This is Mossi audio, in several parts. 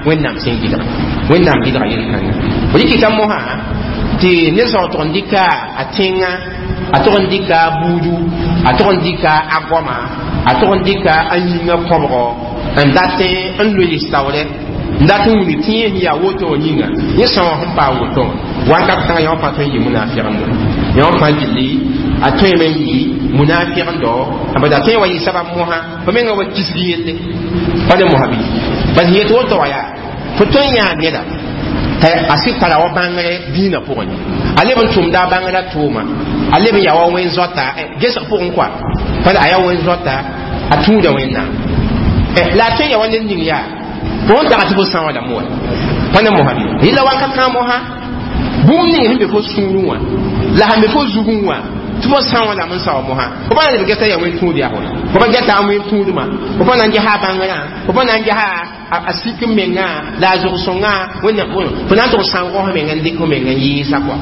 Wẽnnaam sẽn gɩdga, Wẽnnaam gɩdga yel-kãnga rɩkɩta mosã tɩ ned sã tʋg n dɩka a tẽngã, a tʋg n dɩka a buudu, a tʋg n dɩka a goama, a tʋg n dɩka a yĩngã kõbgɔ n dat n loees taoorɛ, n dat n wilg tɩ yẽ sẽn yaa woto wã yĩnga, yẽ sã wã sẽn paam woto wã wakat kãngã yã wã fãa tõe n yɩ munafɩgendo, yã wã fãa gilli a tõeme n yɩ munafɩgendo. Bad a tõe wa yɩ sabab mosã fo menga wa kisg yelle pa ne mosã bɩ bad sẽn yet woto wã yaa fo tõe n yãa neda t'a a sɩd tara wa bãngre dĩinã pʋgẽ, a leb n tʋmda a bãngrã tʋʋma, a leb n yaa wa wẽn zoata gesg pʋgẽ kɔa pa a yaa wẽn zoata, a tũuda Wẽnnaam la a tõe n yaa wa ned ning yaa fo sẽn taga tɩ fo sã wã lame wa pa ne mosã bɩ yella wakat kãng mosã bũmb ning sẽn be fo sũurẽ wã la sẽn be fo zugẽ wã tɩ fo sã wã lame n sao mosã fo pa na leb geta yaa wẽn tũud yaa fo pa geta a wẽn tũudmã, fo pa na n gesa a bãngrã, fo pa na n gesa a sik n mengã la a zog-sõngã Wẽnnaam fo na n tʋg sãoog f meng n dɩk f meng n yɩɩsa kɔa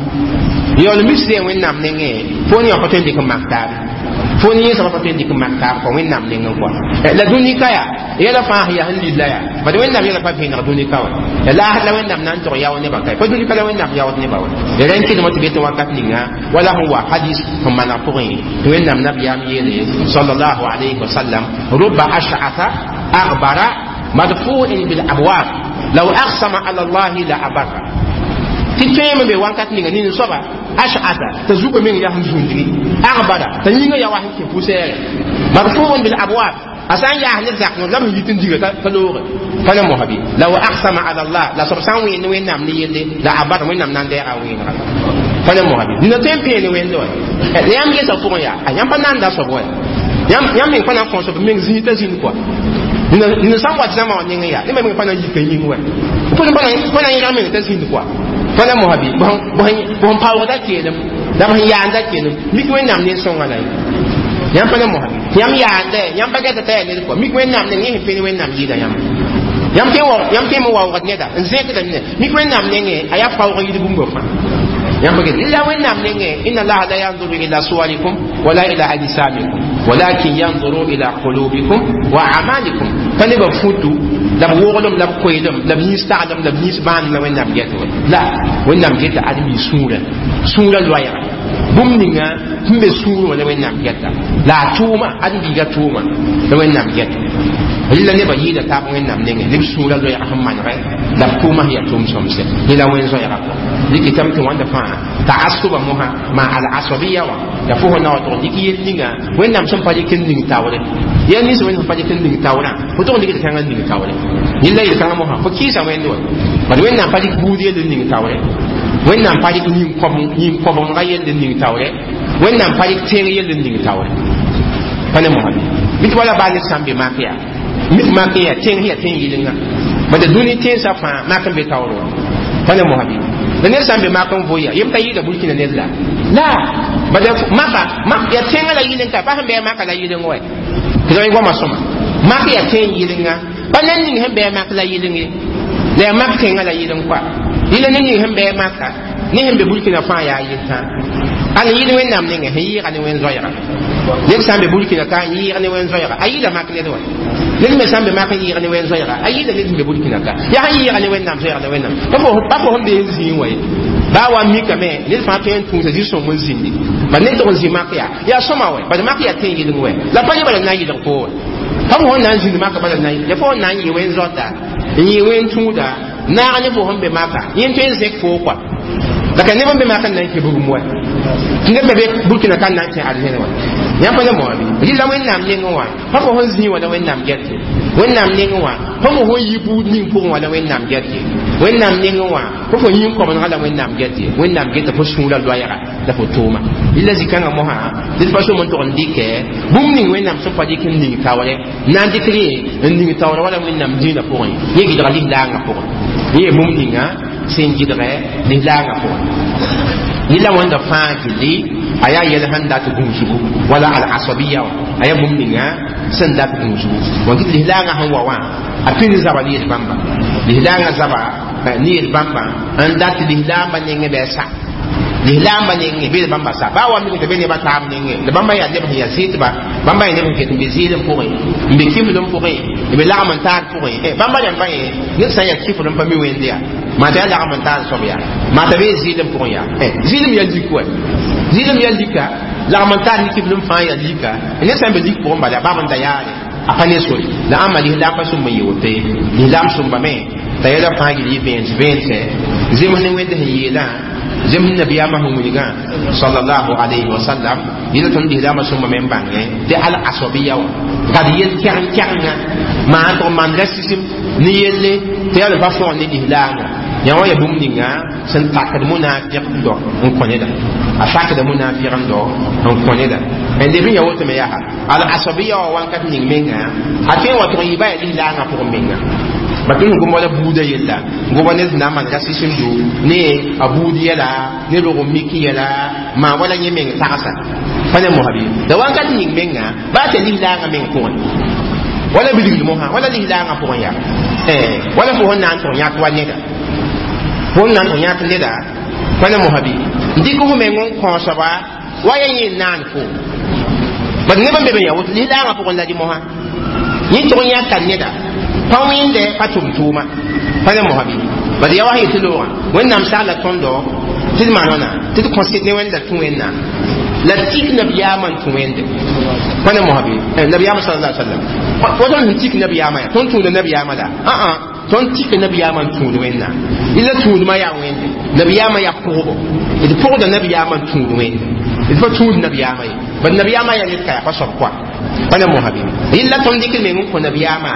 yaool misd Wẽnnaam nengẽ fo ne wã pa tõe n dɩk n mak taabe, fo ne yẽsã pa tõe n dɩk n mak taab kɔa Wẽnnaam nengẽ kɔa. La dũni ka yaa yɛla fãa sẽn yaa sẽn lilla yaa bad Wẽnnaam yɛla pa vẽeneg dũni ka wa la la Wẽnnaam na n tog yao nebã ka pa dũni ka la Wẽnnaam yaood nebã wa rẽ n kɩdmã tɩ be tɩ wakat ninga wala sẽn wa hadis sẽn maneg pʋgẽ tɩ Wẽnnaam nabiyaam yeele sallallahu alayhi wa sallam: ruba ash'atha aghbara madfu'in bil abwab law aqsama ala Allah la abarra. Tɩ tõeme be wakat ninga nin soaba ash'atha t'a zugã meng yaa sẽn zũndgi, aghbara t'a yĩngã yaa wa sẽn kẽ poussière, madfu'un bil abwab a sã n yaas ned zak la b yit n diga t'a looge pa ne mosã bɩ law aqsama ala Allah la soab sã n wẽend Wẽnnaam ne yelle la abar Wẽnnaam na n deega wẽenega pa ne mosã bɩ nina tõe n peene wẽnde wa la yãmb gesa pʋgẽ yaa a yãmb pa nanda soab wa yãmb meng pa na n kõ soab meng zĩig t'a zĩnd kɔa nina sã n wat zãma wã nengẽ yaa neb meng pa na n yika yĩng wa pa na n yẽg meng t'a zĩnd kɔa pa na mosã bɩ bõn paoogda keelem la b sẽn yaanda keelem mik Wẽnnaam nen-sõngã la yãmb pa na mosã yãmb yaanda yãmb pa gɛta t'a yaa ned kɔa mik Wẽnnaam neng yẽ sẽn pẽn Wẽnnaam yɩɩda yãmb yãmb tõe n waoogd neda n zẽkda ned mik Wẽnnaam nengẽ a yaa paoog yid bũmba fãa yãmb pa get la Wẽnnaam nengẽ inna Allaha la yanzuru ila suwarikum wala ila ajsamikum walakin yanzuru ila qulubikum wa amalikum. Pa nebã futu la b woglem la b koeelem la b yĩns taglem la b yĩns bãanem la Wẽnnaam get wa la Wẽnnaam geta ãdem-bi sũurã sũurã loɛɛga bũmb ninga sẽn be sũurẽ wã la Wẽnnaam geta la a tʋʋma ãdem-biigã tʋʋma la Wẽnnaam geta rɩla nebã yɩɩda taab Wẽnnaam nengẽ neb sũurã loɛɛga sẽn manegɛ la b tʋʋma sẽn yaa tʋʋm-sõmse yẽ la wẽn zoɛɛga kɔ dɩkɩtame tɩ wãnda fãa taasʋba mosã maa al-asabiya wã la fo sẽn na wa tʋg n dɩk yel ninga Wẽnnaam sẽn pa dɩk n ning taoore yɛl nins Wẽnd sẽn pa dɩk n ning taoorã fo tʋg n dɩk kãngã n ning taoore yella yel-kãngã mosã fo kɩɩsa Wẽnd wa bad Wẽnnaam pa dɩk buud yell n ning taoore, Wẽnnaam pa dɩk yĩn-kõbengã yell n ning taoore, Wẽnnaam pa dɩk tẽng yell n ning taoore pa ne mosã bɩ tɩ wala baa ned sã n be mak yaa mik mak yaa tẽng yaa tẽng yɩlenga bad dũni tẽnsã fãa mak n be taoore wã pa ne mosã bɩ la ned sã n be mak n voya yem t'a yɩɩda Burkina ned la la bad maka mak yaa tẽngã la yɩleng ka pa sẽn bɩ maka la yɩleng wa tɩ ra goama sõma mak yaa tẽng yɩlenga pa ned ning sẽn bɩ mak la yɩleng ye la yaa mak tẽngã la yɩleng kɔa yɩla ned ning sẽn bɩ maka ne sẽn be Burkina fãa yaa yel-tã ala yɩl Wẽnnaam nengẽ sẽn yɩɩga ne wẽn zoɛɛga ned sã n be Burkina ka n yɩɩg ne wẽn zoɛɛga a yɩɩda mak ned wa ned me sã n be mak n yɩɩg ne wẽn zoɛɛga a yɩɩda ned sẽn be Burkina ka yaa sẽn yɩɩga ne Wẽnnaam zoɛɛga la Wẽnnaam pa fo sẽn be n zĩig wa ye baa wa mikame ned fãa tõe n tũusa zĩ-sõng n zĩndi bad ned tʋg n zĩ mak yaa yaa sõma wɛ bad mak yaa tẽn yɩleng wɛ la pa ne bala na n yɩlg fo wa pa fo sẽn na n zĩnd maka bala na ya fo sẽn na n yɩ wẽn zoata n yɩ wẽn tũuda naag ne fo sẽn be maka yẽ tõe n zẽk foo kɔa la ka neb n be maka n na n kẽ bugum wa tɩ neb me be Burkina ka n na n kẽ arzẽne wa yãmb pa ne moa bɩ rɩla Wẽnnaam nengẽ wã pa fo sẽn zĩig wã la Wẽnnaam get ye Wẽnnaam nengẽ wã pa fo sẽn yi buud ning pʋgẽ wã la Wẽnnaam get ye Wẽnnaam nengẽ wã pa fo yĩn-kõbengã la Wẽnnaam get ye Wẽnnaam geta fo sũurã loɛɛga la fo tʋʋma rɩla zĩ-kãngã mosã ned pa som n tʋg n dɩkɛ bũmb ning Wẽnnaam sẽn pa dɩk n ning taoore na n dɩk rẽ n ning taoore wala Wẽnnaam dĩinã pʋgẽ yẽ gɩdga lislaangã pʋgẽ yẽ bũmb ninga sẽn gɩdgɛ lislaangã pʋgẽ yẽla wãnda fãa gilli a yaa yɛl sẽn dat gũusgu wala al-asabiya wã a yaa bũmb ninga sẽn dat gũusgu wã tɩ lislaangã sẽn wa wã a pĩnd zaba ne yel bãmba lislaangã zaba ne yel bãmba n dat lislaambã nengẽ bɩ a sa Lislaambã nengẽ bee bãmba sa baa wa mik tɩ be nebã taab nengẽ la bãmba yaa neb sẽn yaa zɩɩdba, bãmba yaa neb sẽn ket n be zɩɩlem pʋgẽ, n be kiflem pʋgẽ, n be lagm n taar pʋgẽ. Bãmba rãmbã yẽ ned sã n yaa kifl n pa mi wẽnde yaa maa t'a yaa lagm n taar soab yaa maa t'a bee zɩɩlem pʋgẽ yaa zɩɩlem yaa lik wa, zɩɩlem yaa lika, lagm n taar ne kiflem fãa yaa lika. Ned sã n be lik pʋgẽ bala baab n da yaare a pa ne sore la ãmba lislaam pa sũmb n yɩ woto ye. Lislaam sũmbame t'a yɛla fãa gil yɩ vẽens vẽense zems ne wẽnd sẽn yeelã, zems nabiyaamã sẽn wilgã sallallahu alayhi wa sallam. Yẽla tõnd lislaamã sũmbame n bãngẽ tɩ al asabiya wã gad yel kɛgn-kɛgenga maan tʋg maan rasism ne yelle tɩ yaa pa fõgen ne lislaamã yã wã ya bũmb ninga sẽn takd munafiq dɔ n kõ neda, a sakda munafiq n dɔ n kõ neda. N leb n ya woto me yaa al asabiya wã wãnkat ning menga a tõe n wa tʋg n yɩ ba yaa lislaangã pʋgẽ menga ba tõnd gom wala buudã yella, goma ned sẽn na n maan rasism do ne a buud yɛla ne rog n mik yɛla maa wala yẽ meng tagsa pa ne mosã bɩ la wãnkat ning menga baa tɩ lislaangã meng pʋgẽ wala bilgl mosã wala lislaangã pʋgẽ yaa wala fo sẽn na n tʋg yãk wa neda, fo n na n tʋg yãk neda pa ne mosã bɩ n dɩk fo meng n kõ soaba wa ya yẽ n naan fo bad neb n be be ya woto lislaangã pʋgẽ la dɩ mosã yẽ tʋg n yãka neda pa wẽnde pa tʋm tʋʋma pa ne mosã bɩ bad ya wa sẽn yetɩ loogã Wẽnnaam sagla tõndo tɩ d maan wãna tɩ d kõsɩd ne Wẽnda tũ Wẽnnaam la tik nabiyaamã n tũ Wẽnde pa ne mosã bɩ nabiyaamã sallallahu alaihi wasallam wa tõnd sẽn tik nabiyaamã yaa tõnd tũuda nabiyaamã la ã tõnd tik nabiyaamã n tũud Wẽnnaam ila tũudmã yaa Wẽnde nabiyaamã yaa pʋgbo d pʋgda nabiyaamã n tũud Wẽnde d pa tũud nabiyaamã ye bad nabiyaamã yaa ned ka yaa pa soab koa pa ne mosã bɩ yella tõnd dɩk meng n kõ nabiyaamã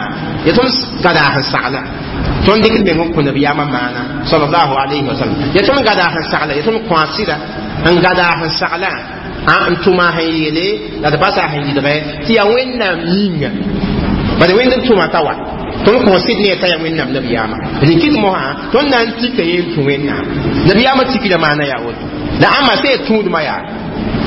ya tõnd gadaas n sagla, tõnd dɩk meng n kõ nabiyaamã maana sallallahu alayhi wa sallam ya tõnd gadaas n sagla, ya tõnd kõ a sɩda n gadaas n sagla n tʋma sẽn yeele la d basa sẽn yɩlgɛ tɩ yaa Wẽnnaam yĩnga bad Wẽnd n tʋma t'a wa tõnd kõ sɩd ne t'a yaa Wẽnnaam nabiyaamã rẽ kɩt mosã tõnd na n tika yẽ n tũ Wẽnnaam nabiyaamã tikda maana yaa woto la ãmba sẽn tũudmã yaa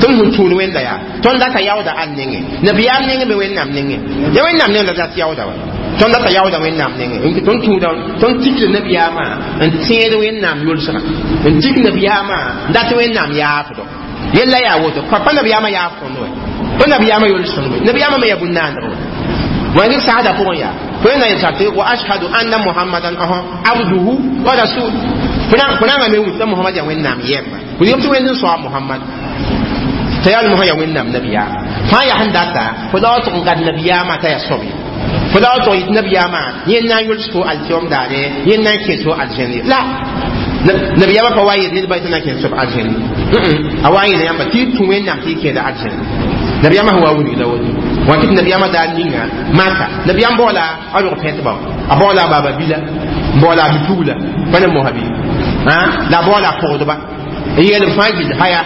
tõnd sẽn tũud Wẽnda yaa tõnd data yaooda al nengẽ nabiyaam nengẽ be Wẽnnaam nengẽ ya Wẽnnaam neng la dat yaooda wa tõnd data yaooda Wẽnnaam nengẽ tõnd tũuda tõnd tikda nabiyaamã n tẽed Wẽnnaam yolsgã n tik nabiyaamã n dat Wẽnnaam yaafdo yella yaa woto pa nabiyaamã yaaf tõnd wɛ pa nabiyaamã yols tõnd wɛ nabiyaamã me yaa bũn-naandg wɛ wãng saada pʋgẽ yaa fo na yel tɩ wa ashhadu anna Muhammadan abduhu wa rasul fo nanga me wit t'a Muhammad yaa Wẽnnaam yɛmba fo yem tɩ Wẽnd n soa Muhammad t'a yaa mosã yaa Wẽnnaam nabiyaama fãa yaa sẽn data fo la wa tʋg n gad nabiyaamã t'a yaa soab ye fo la wa tʋg yit nabiyaamã yẽnd na n yols fo alkiom daare yẽnd na n kẽ fo aljẽne la nabiyaamã pa wa yel ned ba tɩ na n kẽ soab aljẽne a wa n yeela yãmba tɩ y tũ Wẽnnaam tɩ y kẽeda aljẽne nabiyaamã sẽn wa wilg la woto wã tɩ nabiyaamã daar ninga maka nabiyaam baoola a rog pẽtba a baoola a baaba bila n baoola a bipugla pa ne mosã bɩ la a baoola a pʋgdba n yeel b fãa gill haya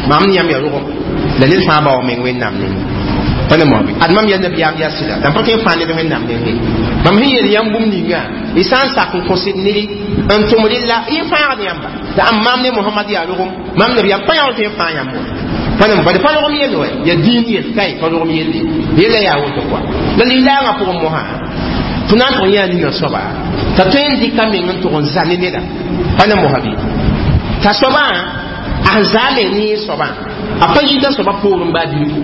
mam ne yãmb yaa rogem la ned fãa bao meng Wẽnnaam nengẽ pa ne mosã bɩ ad mam yaa nabiyaam yaa sɩda la m pa tõe n fãa ned Wẽnnaam nengẽ mam sẽn yeel yãmb bũmb ninga y sã n sak n kõsd ned n tʋm rella y fãagd yãmba la ãmb mam ne Mohamad yaa rogem mam nabiyaam pa yã tõe n fãa yãmb wa pa ne bad pa rogem yell wa ya dĩin yell kai pa rogem yelle yella yaa woto koa la lislaangã pʋgẽ mosã tɩ na n tʋg yã ninga soaba t'a tõe n dɩka meng n tʋg n za ne neda pa ne mosã bɩ t'a soabã a sẽn zaa me ne soabã a pa yita soaba poorẽ baa bilfu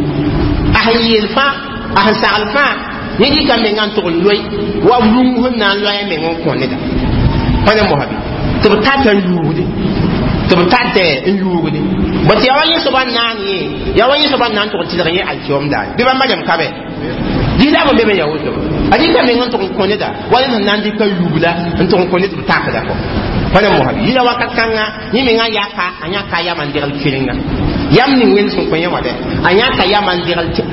a sẽn yeel fãa a sẽn sagl fãa yẽ dɩka menga n tʋg n loe wa rũm sẽn na n loa meng n kõ neda pa ne mosã bɩ tɩ b tata n yuugde tɩ b tate n yuugde bõ tɩ yaa wa yẽ soaba n naan yẽ yaa wa yẽ soaba n na n tʋg n tɩlg yẽ alkiom daare bɩ bãmba rẽmb ka bɛ lislaam n be me yaa woto a dɩka meng n tʋg n kõ neda wa ned sẽn na n dɩka yubla n tʋg n kõ ned tɩ b takda kɔ pa ne mosã bɩ yĩla wakat kãnga yẽ menga yaka a yãka yama n degl kerenga yam ning Wẽnd sẽn kõ yẽ wã dɛ a yãka yama n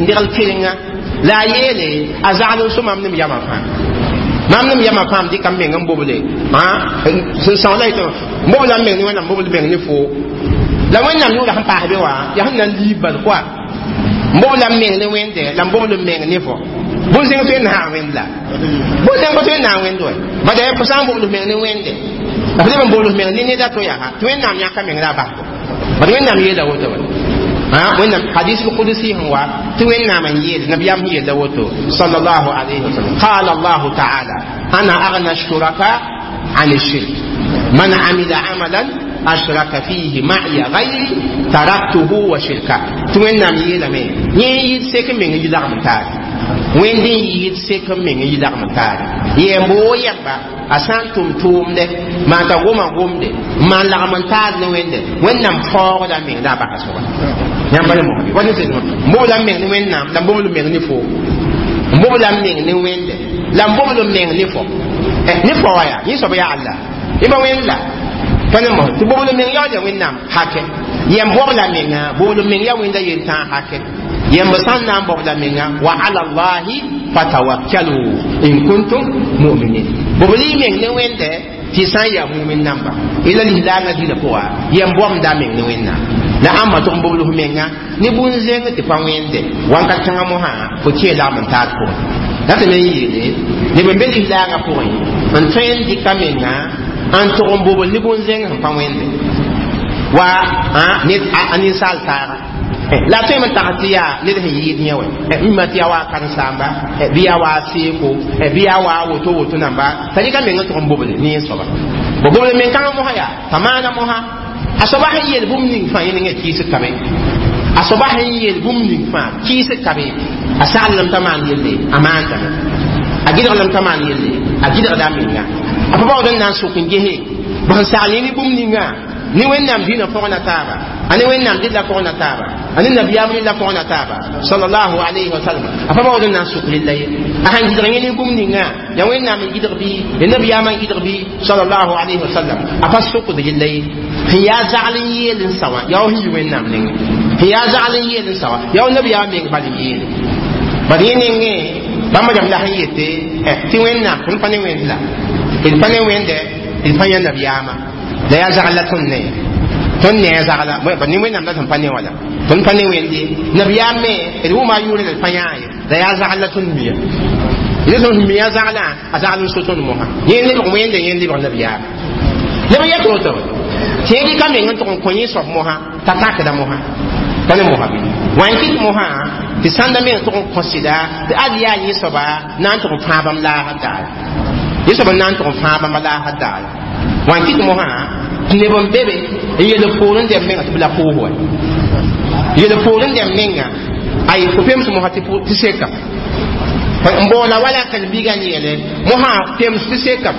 degl kerenga la a yeele a zagl n so mam nem yama fãa mam nem yama fãa m dɩka m meng n boble sẽn sõng la yetɩ n bobla m meng ne Wẽnnaam bobl meng ne fo la Wẽnnaam yʋʋra sẽn paas be wã yaa sẽn na n liib bal koa n bobla m meng ne Wẽnde la n bobl m meng ne fo bõn-zẽng tõe n naag Wẽnd la bõn-zẽng pa tõe n naag Wẽnd wɛ bada fo sã n bobl meng ne Wẽnde la f leb n bobl meng ne neda to yaa tɩ Wẽnnaam yãka meng la a basgo bad Wẽnnaam yeela woto wɛ Wẽnnaam hadis lqudusi sẽn wa tɩ Wẽnnaam n yeel nabiyaam sẽn yeella woto sallallahu alayhi wa sallam qala Allahu taala ana aghna shuraka an shirk man amila amalan ashraka fihi ma'iya ghayri taraktuhu wa shirka. Tɩ Wẽnnaam yeelame yẽ yɩɩd sek n meng n yi lagm n taare, Wẽnd n yɩɩd sek n meng n yi lagm n taare. Yɛm-boo yɛmba a sã n tʋm tʋʋmdɛ maan t'a goma gomde n maan lagm n taar ne Wẽnde, Wẽnnaam faoogda meng la a basa soaba. Yãmb pa ne mosã wa ne sẽn n bobla n meng ne Wẽnnaam la n bobl meng ne fo, n bobla n meng ne Wẽnde la n bobl n meng ne fo, ne fo wa yaa yẽ soab yaa Allah yẽ pa Wẽnd la pa ne mosã tɩ bobl meng yaool ya Wẽnnaam hakɛ. Yɛm bobla menga bobl meng ya Wẽnda yel-tãag hakɛ. Yɛmb sã n na n bobla menga wa ala llahi fatawakkalu in kuntum mu'minin, bobl y meng ne Wẽnde tɩ sã n yaa mumin namba ila lislaangã dĩnã pʋga. Yɛm bobda meng ne Wẽnnaam la ãmba tʋg n bobl f menga ne bũn-zẽng tɩ pa Wẽnde wãnka kãngã mosã fo kee lagm n taad pʋgẽ la tɩ me n yeele neb n be lislaangã pʋgẽ n tõe n dɩka menga n tʋg n bobl ne bũn-zẽng sẽn pa Wẽnde wa a ninsaal taaga la tõe me tag tɩ yaa ned sẽn yɩɩd yẽ wɛ mima tɩ yaa wa a karen-saamba bɩ yaa wa a seeko bɩ yaa wa a woto woto namba t'a rɩka meng n tʋg n bobl ne yẽ soaba bo bobl meng kãngã mosã yaa t'a maana mosã a soaba sẽn yeel bũmb ning fãa yẽ nengã kɩɩs kabe, a soaba sẽn yeel bũmb ning fãa kɩɩs kabe, a saglem t'a maan yelle a maandame, a gɩdglem t'a maan yelle a gɩdgda a menga, a pa baood n na n sʋk n gese b sẽn sagl yẽ ne bũmb ninga ne Wẽnnaam dĩnã pʋgna taaba, a ne Wẽnnaam dɩlla pʋgna taaba, a ne nabiyaam rɩlla pʋgna taaba sallallahu alayhi wa sallam, a pa baood n na n sʋk rella ye. A sãn gɩdg yẽ ne bũmb ninga ya Wẽnnaam n gɩdg bɩ ya nabiyaamã n gɩdg bɩ sallallahu alayhi wa sallam, a pa sʋkd rella ye. Sẽn yaa zagl n yeel n sa wã yaa wa sẽn yi Wẽnnaam nengẽ, sẽn yaa zagl n yeel n sa wã yaa wa nabiyaamã meng bal n yeele bad yẽ nengẽ bãmb rãmb la sẽn yete tɩ Wẽnnaam tõnd pa ne Wẽnd la d pa ne Wẽnde d pa yã nabiyaamã la yaa zagl la tõnd ne tõnd ne a zagla ba ne Wẽnnaam la tõnd pa ne wala tõnd pa ne Wẽnde nabiyaam me d wʋma a yʋʋre la d pa yãa ye la yaa zagl la tõnd miya d tõnd miya zaglã a zagl n so tõnd mosã yẽ lebg Wẽnde yẽ lebg nabiyaam neb n yɛt woto tɩ yẽ dɩka meng n tʋg n kõ yẽ soab mosã t'a takda mosã pa ne mosã bɩ wa n kɩt mosã tɩ sãnda meng tʋg n kõ sɩda tɩ ad yaa yẽ soaba na n tʋg n fãa bãmb laasd daare, yẽ soab n na n tʋg n fãa bãmba laasd daare wa n kɩt mosã tɩ neb n be be n yel poor n dɛm menga tɩ b la pʋʋs wa yel poor n dɛm menga ay fo pems mosã tɩ sekam n boola wala karen-biigã n yeele mosã pems tɩ sekam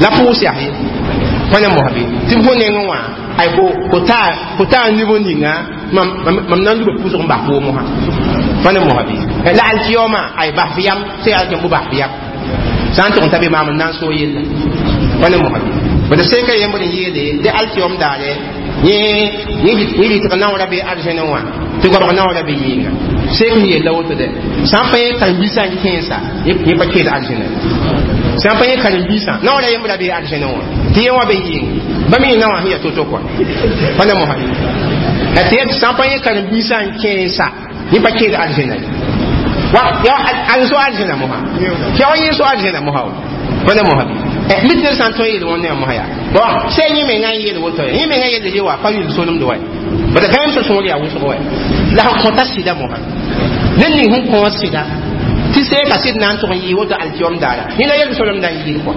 la pʋʋs yaa ye pa ne mosã bɩ tɩ fo nengẽ wã ay fo taa nib ninga mam na n luba pʋʋsg n bas pʋʋg mosã pa ne mosã bɩ la alkiyoma ay bas f yam sã yaa tɩ b bas f yam sã n tʋg n ta be maam n na n soog yella pa ne mosã bɩ bad seka yembd n yeele dɩ alkiyom daare yẽ rɩtg naoora be arzẽne wã tɩ goabg naoora be yɩɩnga sek n yella woto dɛ sã n pa yẽ karen-biisã n kẽesa yẽ pa keed arzẽne sã n pa yẽ karen-biisã naoora yembra be arzẽne wã tɩ yẽ wã be yɩɩng ba me yẽ naowã sẽn yaa to-to kɔa pa ne mosã tɩ sã n pa yẽ karen-biisã n kẽesa yẽ pa keed arzẽna wa ya so arzẽna mosã tɩ ya wa yẽ so arzẽna mosã pa ne mosã bɩ mit ned sã n tõe n yeel wẽnd yaa mosã yaa bon sɛ yẽ menga n yeel woto yẽ menga yelle ye wa pa yʋl solemd wa bad gãem sã sõor yaa wʋsg wa la sẽn kõta sɩda mosã ned ning sẽn kõ sɩda tɩ seeka sɩd na n tʋg n yɩɩ woto alkiyom daara yẽ la yel solemdã n yɩɩd kɔa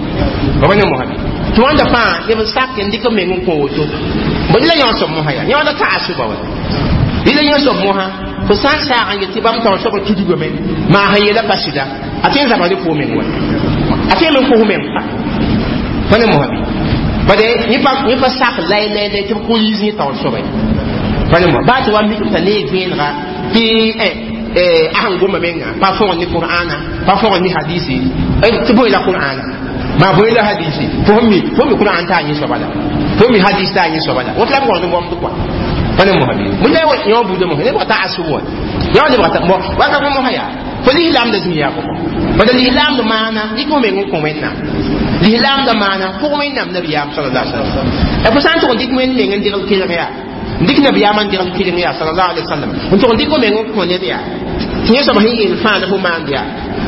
ba ne mosã bɩ tɩ wãnda fãa neb n sak n dɩk meng n kõ woto bõe la yõ soab mosã yaa yõoda taasʋba wa la yõ soab mosã fo sã n saag n yet tɩ bãmb taoor soab tudgame maa sẽn yeela pa sɩda a tõe n zabgd fo meng wa a tõe me n kos meng pa ne mosã bɩ bade yẽ pa sak lay-lay-lay tɩ b kʋ yiis yẽ taoor soaba pa ne mosã baa tɩ wa mik t'a neeg vẽenega tɩ a sẽn goma menga pa fõgd ne Qur'ana pa fõgd ne hadisi tɩ bõe la Qur'ana maa bõe la hadisi fo mi Qur'an t'a yẽ soaba la fo mi hadis t'a yẽ soaba la woto la b gõgd n bõmd kɔa pa ne mosã bɩ bõe la yõ buudã mosã nebg t'a asb wa yõ lebg t'a wakat mosã yaa fo lislaamda zĩig yaa pʋgẽ bala lislaamd maana dɩk fo meng n kõ Wẽnnaam lislaamda maana pʋg Wẽnnaam nabiyaam sallallahu alaihi wasallam fo sã n tʋg n dɩk Wẽnd meng n degl kelg yaa n dɩk nabiyaamã n degl kelg yaa sallallahu alaihi wasallam n tʋg n dɩk fo meng n kõ ned yaa tɩ yẽ soab sẽn yeel fãa la fo maand yaa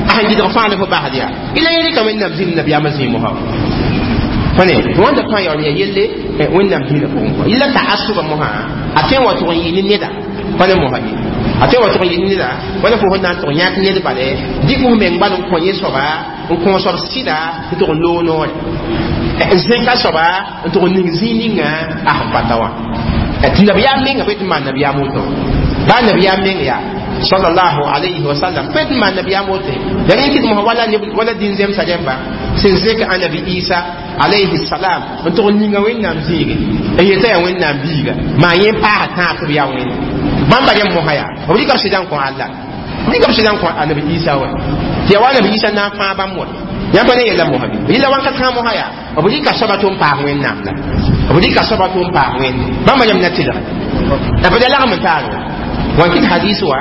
a sẽn gɩdg fãa la fo basd yaa ila yẽ rɩka Wẽnnaam zĩnd nabiyaamã zĩig mosã pa ne wãnda fãa yaool yaa yelle Wẽnnaam dĩinã pʋgẽ kɔa yella ta'asʋba mosã a tõe n wa tʋg n yɩ ne neda pa ne mosã ye a tõe n wa tʋg n yɩ ne neda wala fo sẽn na n tʋg yãk ned bale dɩk f meng bal n kõ yẽ soaba n kõ soab sɩda tɩ tʋg n loog noore Zẽka soaba n tʋg n ning zĩig ninga a sẽn pa ta wã tɩ nabiyaam menga pa tɩ maan nabiyaam woto baa nabiyaam meng yaa sallallahu alayhi wa sallam pa tɩ maan nabiyaam woto ya rẽ kɩt mosã wala wala dĩn zemsa rẽmba sẽn zẽk anabi Isa alayhi salam n tʋg n ninga Wẽnnaam zĩige n yeta yaa Wẽnnaam biiga maa yẽ paasa tãab tɩ b yaa Wẽnde bãmba rẽmb mosã yaa b rɩka b sɩda n kõ Alla b rɩka b sɩda n kõ anabi Isa wa tɩ yaa wa anabi Isa na n fãa bãmb wa yãmb pa ne yella mosã bɩ yella wãnka kãa mosã yaa b rɩka soaba tɩ n paas Wẽnnaam la b rɩka soaba tɩ n paas Wẽnde bãmba rẽmb na tɩlge la b da lagm n taar wa wan kɩt hadis wa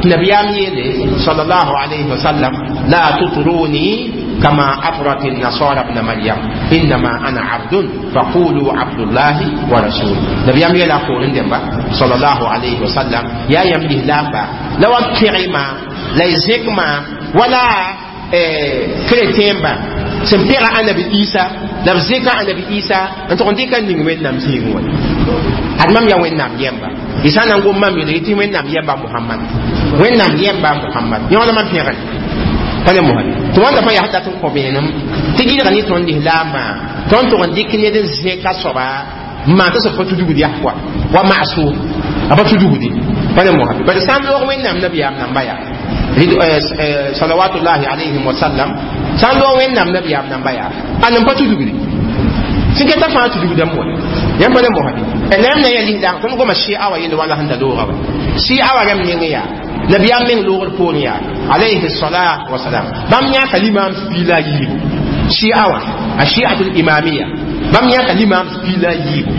nabiyaam yeele sallallahu alayhi wa sallam la tutruni كما أطرت النصارى ابن مريم إنما أنا عبد فقولوا عبد الله ورسوله نبي أم يلا قولن دمبا صلى الله عليه وسلم يا يملي لامبا لو أكرما لا يزكما ولا chrétien ba sẽn pẽga anabi Isa la b zẽka anabi Isa n tʋg n dɩka n ning Wẽnnaam zĩig wã ad mam yaa Wẽnnaam yɛmba y sã n na n gom mam yeelge tɩ Wẽnnaam yɛmba Mohamad Wẽnnaam yɛmba Mohamad yõ la mam pẽgre pa ne mosã tɩ wãnda fãa yaa dat n kõ vẽenem tɩ gɩdga ne tõnd lislaambã tõnd tʋg n dɩk ned n zẽka soaba n maan tɩ sẽb pa tudgd yaa kɔa wa maasʋʋm a pa tudgdi pa ne mosã bad sã n loog Wẽnnaam nabiyaam namba yaa salawatullahi alayhim wa sallam sã n loog Wẽnnaam nabiyaam namba yaa a n pa tudgdi sẽn keta fãa tudgdame wa yãmb pa ne mosã la yãmb na n yaa lislaam tõnd goma sɩa wa yell wala sẽn da looga wa sɩa wa rãmb neng yaa nabiyaam meng loogr poorẽ yaa alayhi salatu wasalam bãmb yãka limaam piila yiibu shia wã a shiatul imamiya bãmb yãka limaam piila yiibu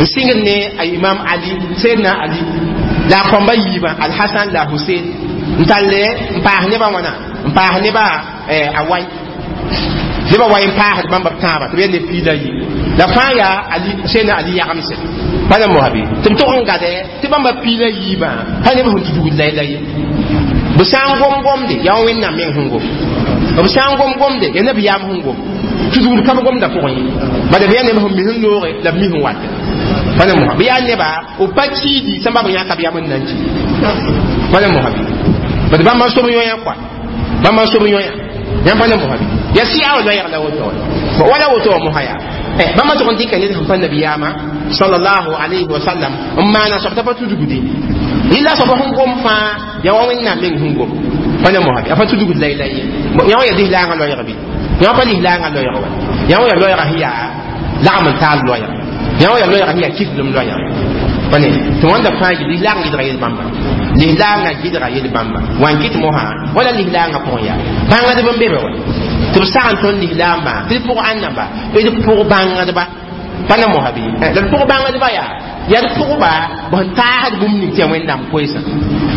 n sɩngd ne a imam Ali sayyidina Ali la a kõmba yiibã Alhasan la Husein n talle n paas nebã wãna n paas nebã a wai nebã wai n paasd bãmb b tãabã tɩ b yaa ne piila yiibu la fãa yaa Ali sayyidina Ali yagemse pa ne mosabe tɩ b tʋg n gade tɩ bãmba piila yiibã pa neb sẽn tudgd la ye b sã n gom gomde yaa Wẽnnaam meng sẽn gom b sã n gom gomde yaa nabiyaam sẽn gom tudgd ka b gomda pʋgẽ ye bala b yaa neb sẽn mis n nooge la b mis n wate pa ne mosa b yaa neba b pa kiidi sẽn ba b yãka b yam n nan ki pa ne mosa bad bãmb n sob yõyã kɔa bãmb n sob yõyã yãmb pa ne mosa yaa sɩa wa loɛɛg la woto wala woto wa mosa yaa bãmb tʋg n dɩka ned sẽn pa nabiyaamã sallallahu alayhi wa sallam n maana soab t'a pa tudgdi yella soaba sẽn gom fãa yaa wa Wẽnnaam meng sẽn gom pa ne mosa a pa tudgd la la ye yã wã yaa lislaangã loɛɛg bɩ yã wã pa lislaangã loɛɛg wa yã wã yaa loɛɛga sẽn yaa lagm n taal loɛɛg yã wã yaa loɛɛga sẽn yaa kiflem loɛɛg pa ne tɩ wãnda fãa yɩ lislaang gɩdga yel bãmba lislaangã gɩdga yel bãmba wa n kɩt mosã wala lislaangã pʋgẽ yaa bãngdb n be be wa tɩ b sag n tõnd lislaambã tɩ d pʋg ãnnamba d pʋg bãngdba pa ne mosã bɩ la d pʋg bãngdba yaa yaa d pʋgba b sẽn taasd bũmb ning tɩ yaa Wẽnnaam koeesã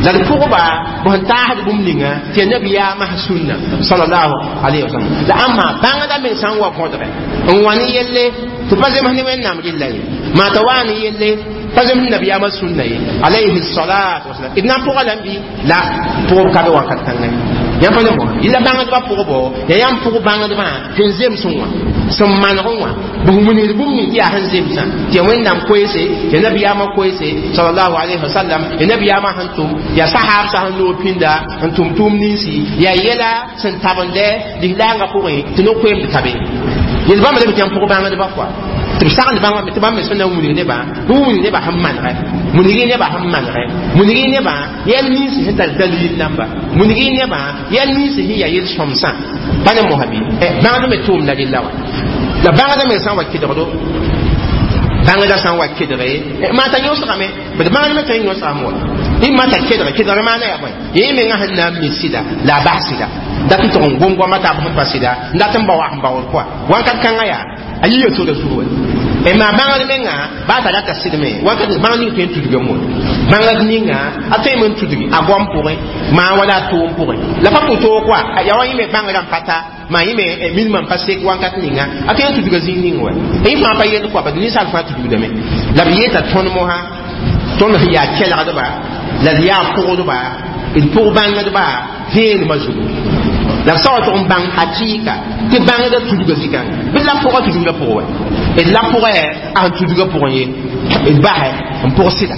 la d pʋgba b sẽn taasd bũmb ninga tɩ yaa nabiyaamã sũnna sallallahu alayhi wa sallam la ãmba bãngda meng sã n wa võdge n wa ne yelle tɩ pa zems ne Wẽnnaam rɩlla ye maa t'a waa ne yelle pa zems nabiyaamã sũnna ye alayhi salatu wasalam d na n pʋga lame bɩ la pʋgb ka be wakat kãngã yãmb pa ne mosã yella bãngdbã pʋgbo yaa yãmb pʋg bãngdbã sẽn zemsẽ wã sẽn manegẽ wã b wilgd bũmb ning tɩ yaa sẽn zemsã tɩ yaa Wẽnnaam koeese tɩ yaa nabiyaamã koeese sallallahu alayhi wa sallam yaa nabiyaamã sẽn tʋm yaa sahaabsã sẽn loog pĩnda n tʋm tʋʋm ninsi yaa yɛla sẽn tabendɛ lislaangã pʋgẽ tɩ no-koeemd ka be yel bãmb la b tɩ yãmb pʋg bãngdbã kɔa tɩ b sagnd bãmb tɩ bãmb me sẽn na n wilg nebã b wilg nebã sẽn manegɛ wilg nebã sẽn manegɛ wilg nebã yɛl ninsi sẽn tar dalil namba wilg nebã yɛl ninsi sẽn yaa yel-sõmsã pa ne mosã bɩ bãngd me tʋʋmda rella wa la bãngda me sã n wa kɩdgdo bãngda sã n wa kɩdge maa t'a yõsgame bd bãngd me tõe n yõsgame wa y ma t'a kɩdge kɩdgr maana yaa bõe yẽ menga sẽn na n mi sɩda la a bas sɩda dat n tʋg n gom goama taab sẽn pa sɩda n dat n ba wa sẽn baood kɔa wãnkat kãngã yaa a yiya sora zugu wa e maa bãngd menga baa t'a rata sɩdme wakat bãng ning tõe n tudgame wa bãngd ninga a tõeme n tudgi a goam pʋgẽ maa wala a toom pʋgẽ la pa pʋ-toog kɔa yaa wa yẽ me bãngrã n pa ta maa yẽ me milmã n pa sek wãnkat ninga a tõe n tudga zĩig ning wa yẽ fãa pa yell kɔa bad ninsaal fãa tudgdame la b yeeta tõnd mosã tõnd sẽn yaa kelgdba la d yaa pʋgdba d pʋg bãngdba vẽenemã zugu la b sa wa tʋg n bãng hakɩɩka tɩ bãngda tudga zikãngã bɩ la pʋga tudgda pʋgẽ wa d la pʋgẽ a sẽn tudga pʋgẽ ye d basɛ n pʋg sɩda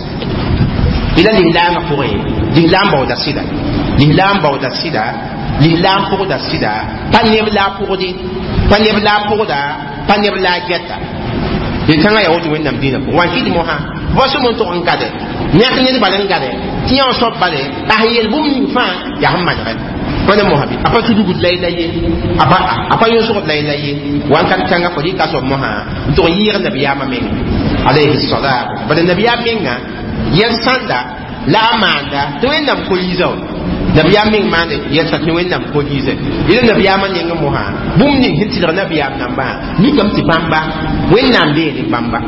y la lislaangã pʋgẽ lislaam baooda sɩda lislaam baooda sɩda lislaam pʋgda sɩda pa neb la a pʋgde pa neb la a pʋgda Pa neb la a gɛta yel-kãngã yaa woto Wẽnnaam dĩinã pʋgẽ. Wa n kɩt mosã fo sẽm n tog n gade yãk ned bal n gade tɩ yã wã soab bale a sẽn yel bũmb ning fãa yaa sẽn manegɛ. Wẽnna mosã bɩ a pa tudgd la yella ye, a pa yõsgd la yella ye. Wãnkat kãngã fo rɩka soab mosã n tog n yɩɩg nabiyaamã menga alayhi salam. Bala nabiyaam menga yɛl sãnda la a maanda tɩ Wẽnnaam ko-yiisa wa nabiyaam meng maande yɛlsa tɩ Wẽnnaam ko-yiise yẽla nabiyaamã nengẽ mosã bũmb ning sẽn tɩlg nabiyaam nambã mikame tɩ bãmba Wẽnnaam bee ne bãmba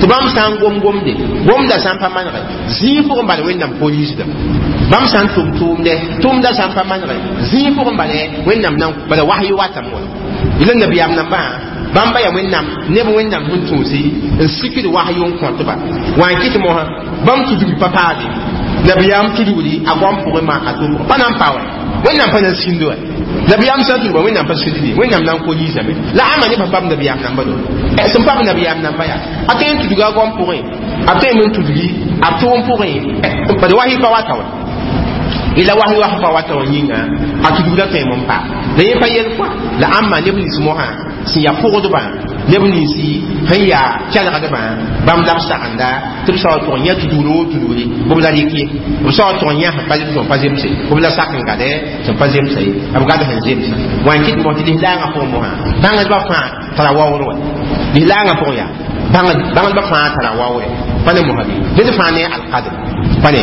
tɩ bãmb sã n gom gomde gomda sã n pa manegɛ zĩig pʋgẽ bala Wẽnnaam ko-yiisda bãmb sã n tʋm tʋʋmdɛ tʋʋmda sã n pa manegɛ zĩig pʋgẽ bala Wẽnnaam nan bala wasy watame wa yẽla nabiyaam nambã bãmba yaa Wẽnnaam neb Wẽnnaam sẽn tũusi n sikd wasy n kõtba wa n kɩt mosã bãmb tudgi pa paade nabiyaam tudgdi a goam pʋgẽ ma a tʋm pa na n pa wɛ Wẽnnaam pa na n sĩnd wɛ nabiyaam sã n tudba Wẽnnaam pa sĩnddi Wẽnnaam na n ko-yiisame la ãma ne pa pam nabiyaam namba do sẽn pam nabiyaam namba yaa a tõe n tudga a goam pʋgẽ a tõe n tudgi a tʋʋm pʋgẽ bad wasy pa wata wɛ ila wasy was pa wata wã yĩnga a tudgda tõe n pa la yẽ pa yel kɔa la ãmba neb nins mosã sẽn yaa pʋgdbã neb ninsi sẽn yaa kelgdbã bãmb la b sagenda tɩ b sao tʋg n yã tudgr woo tudgri b la rɩk ye b sao tʋg n yã sẽn pa sẽn pa zemse b la sak n gade sẽn pa zemsa ye b gad sẽn zemsa wa n kɩt mos tɩ lislaangã pʋgẽ mosã bãngdbã fãa tara waoor wa lislaangã pʋgẽ yaa bãngdbã fãa tara waoore pa ne mosã bɩ ned fãa ne alkadr pa ne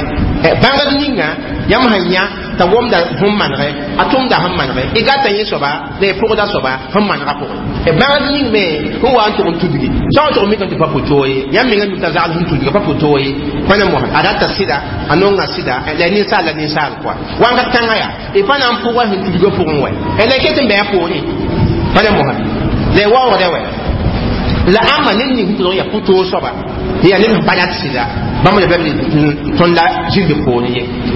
bãngd ninga yãmb sẽn yã t'a womda sẽn manegɛ a tʋmda sẽn manegɛ y gata yẽ soaba la y pʋgda soaba sẽn manegã pʋgẽ bãngd ning me sẽn wa n tʋg n tudgi sã n tʋg n mikame tɩ pa pʋ-toog ye yãmb menga mik t'a zagl sẽn tudga pa pʋ-toog ye pa ne mosã a rata sɩda a nonga sɩda la ninsaal la ninsaal kɔa wãngat kãngã yaa y pa na n pʋga sẽn tudgã pʋgẽ wɛ la y ket n bɩ a poorẽ pa ne mosã la y waoogdɛ wɛ la ãmba ned ning sẽn tʋlg yaa pʋ-toog soaba yaa ned sẽn pa rat sɩda bãmb la bɩ tõnd la zĩnd poorẽ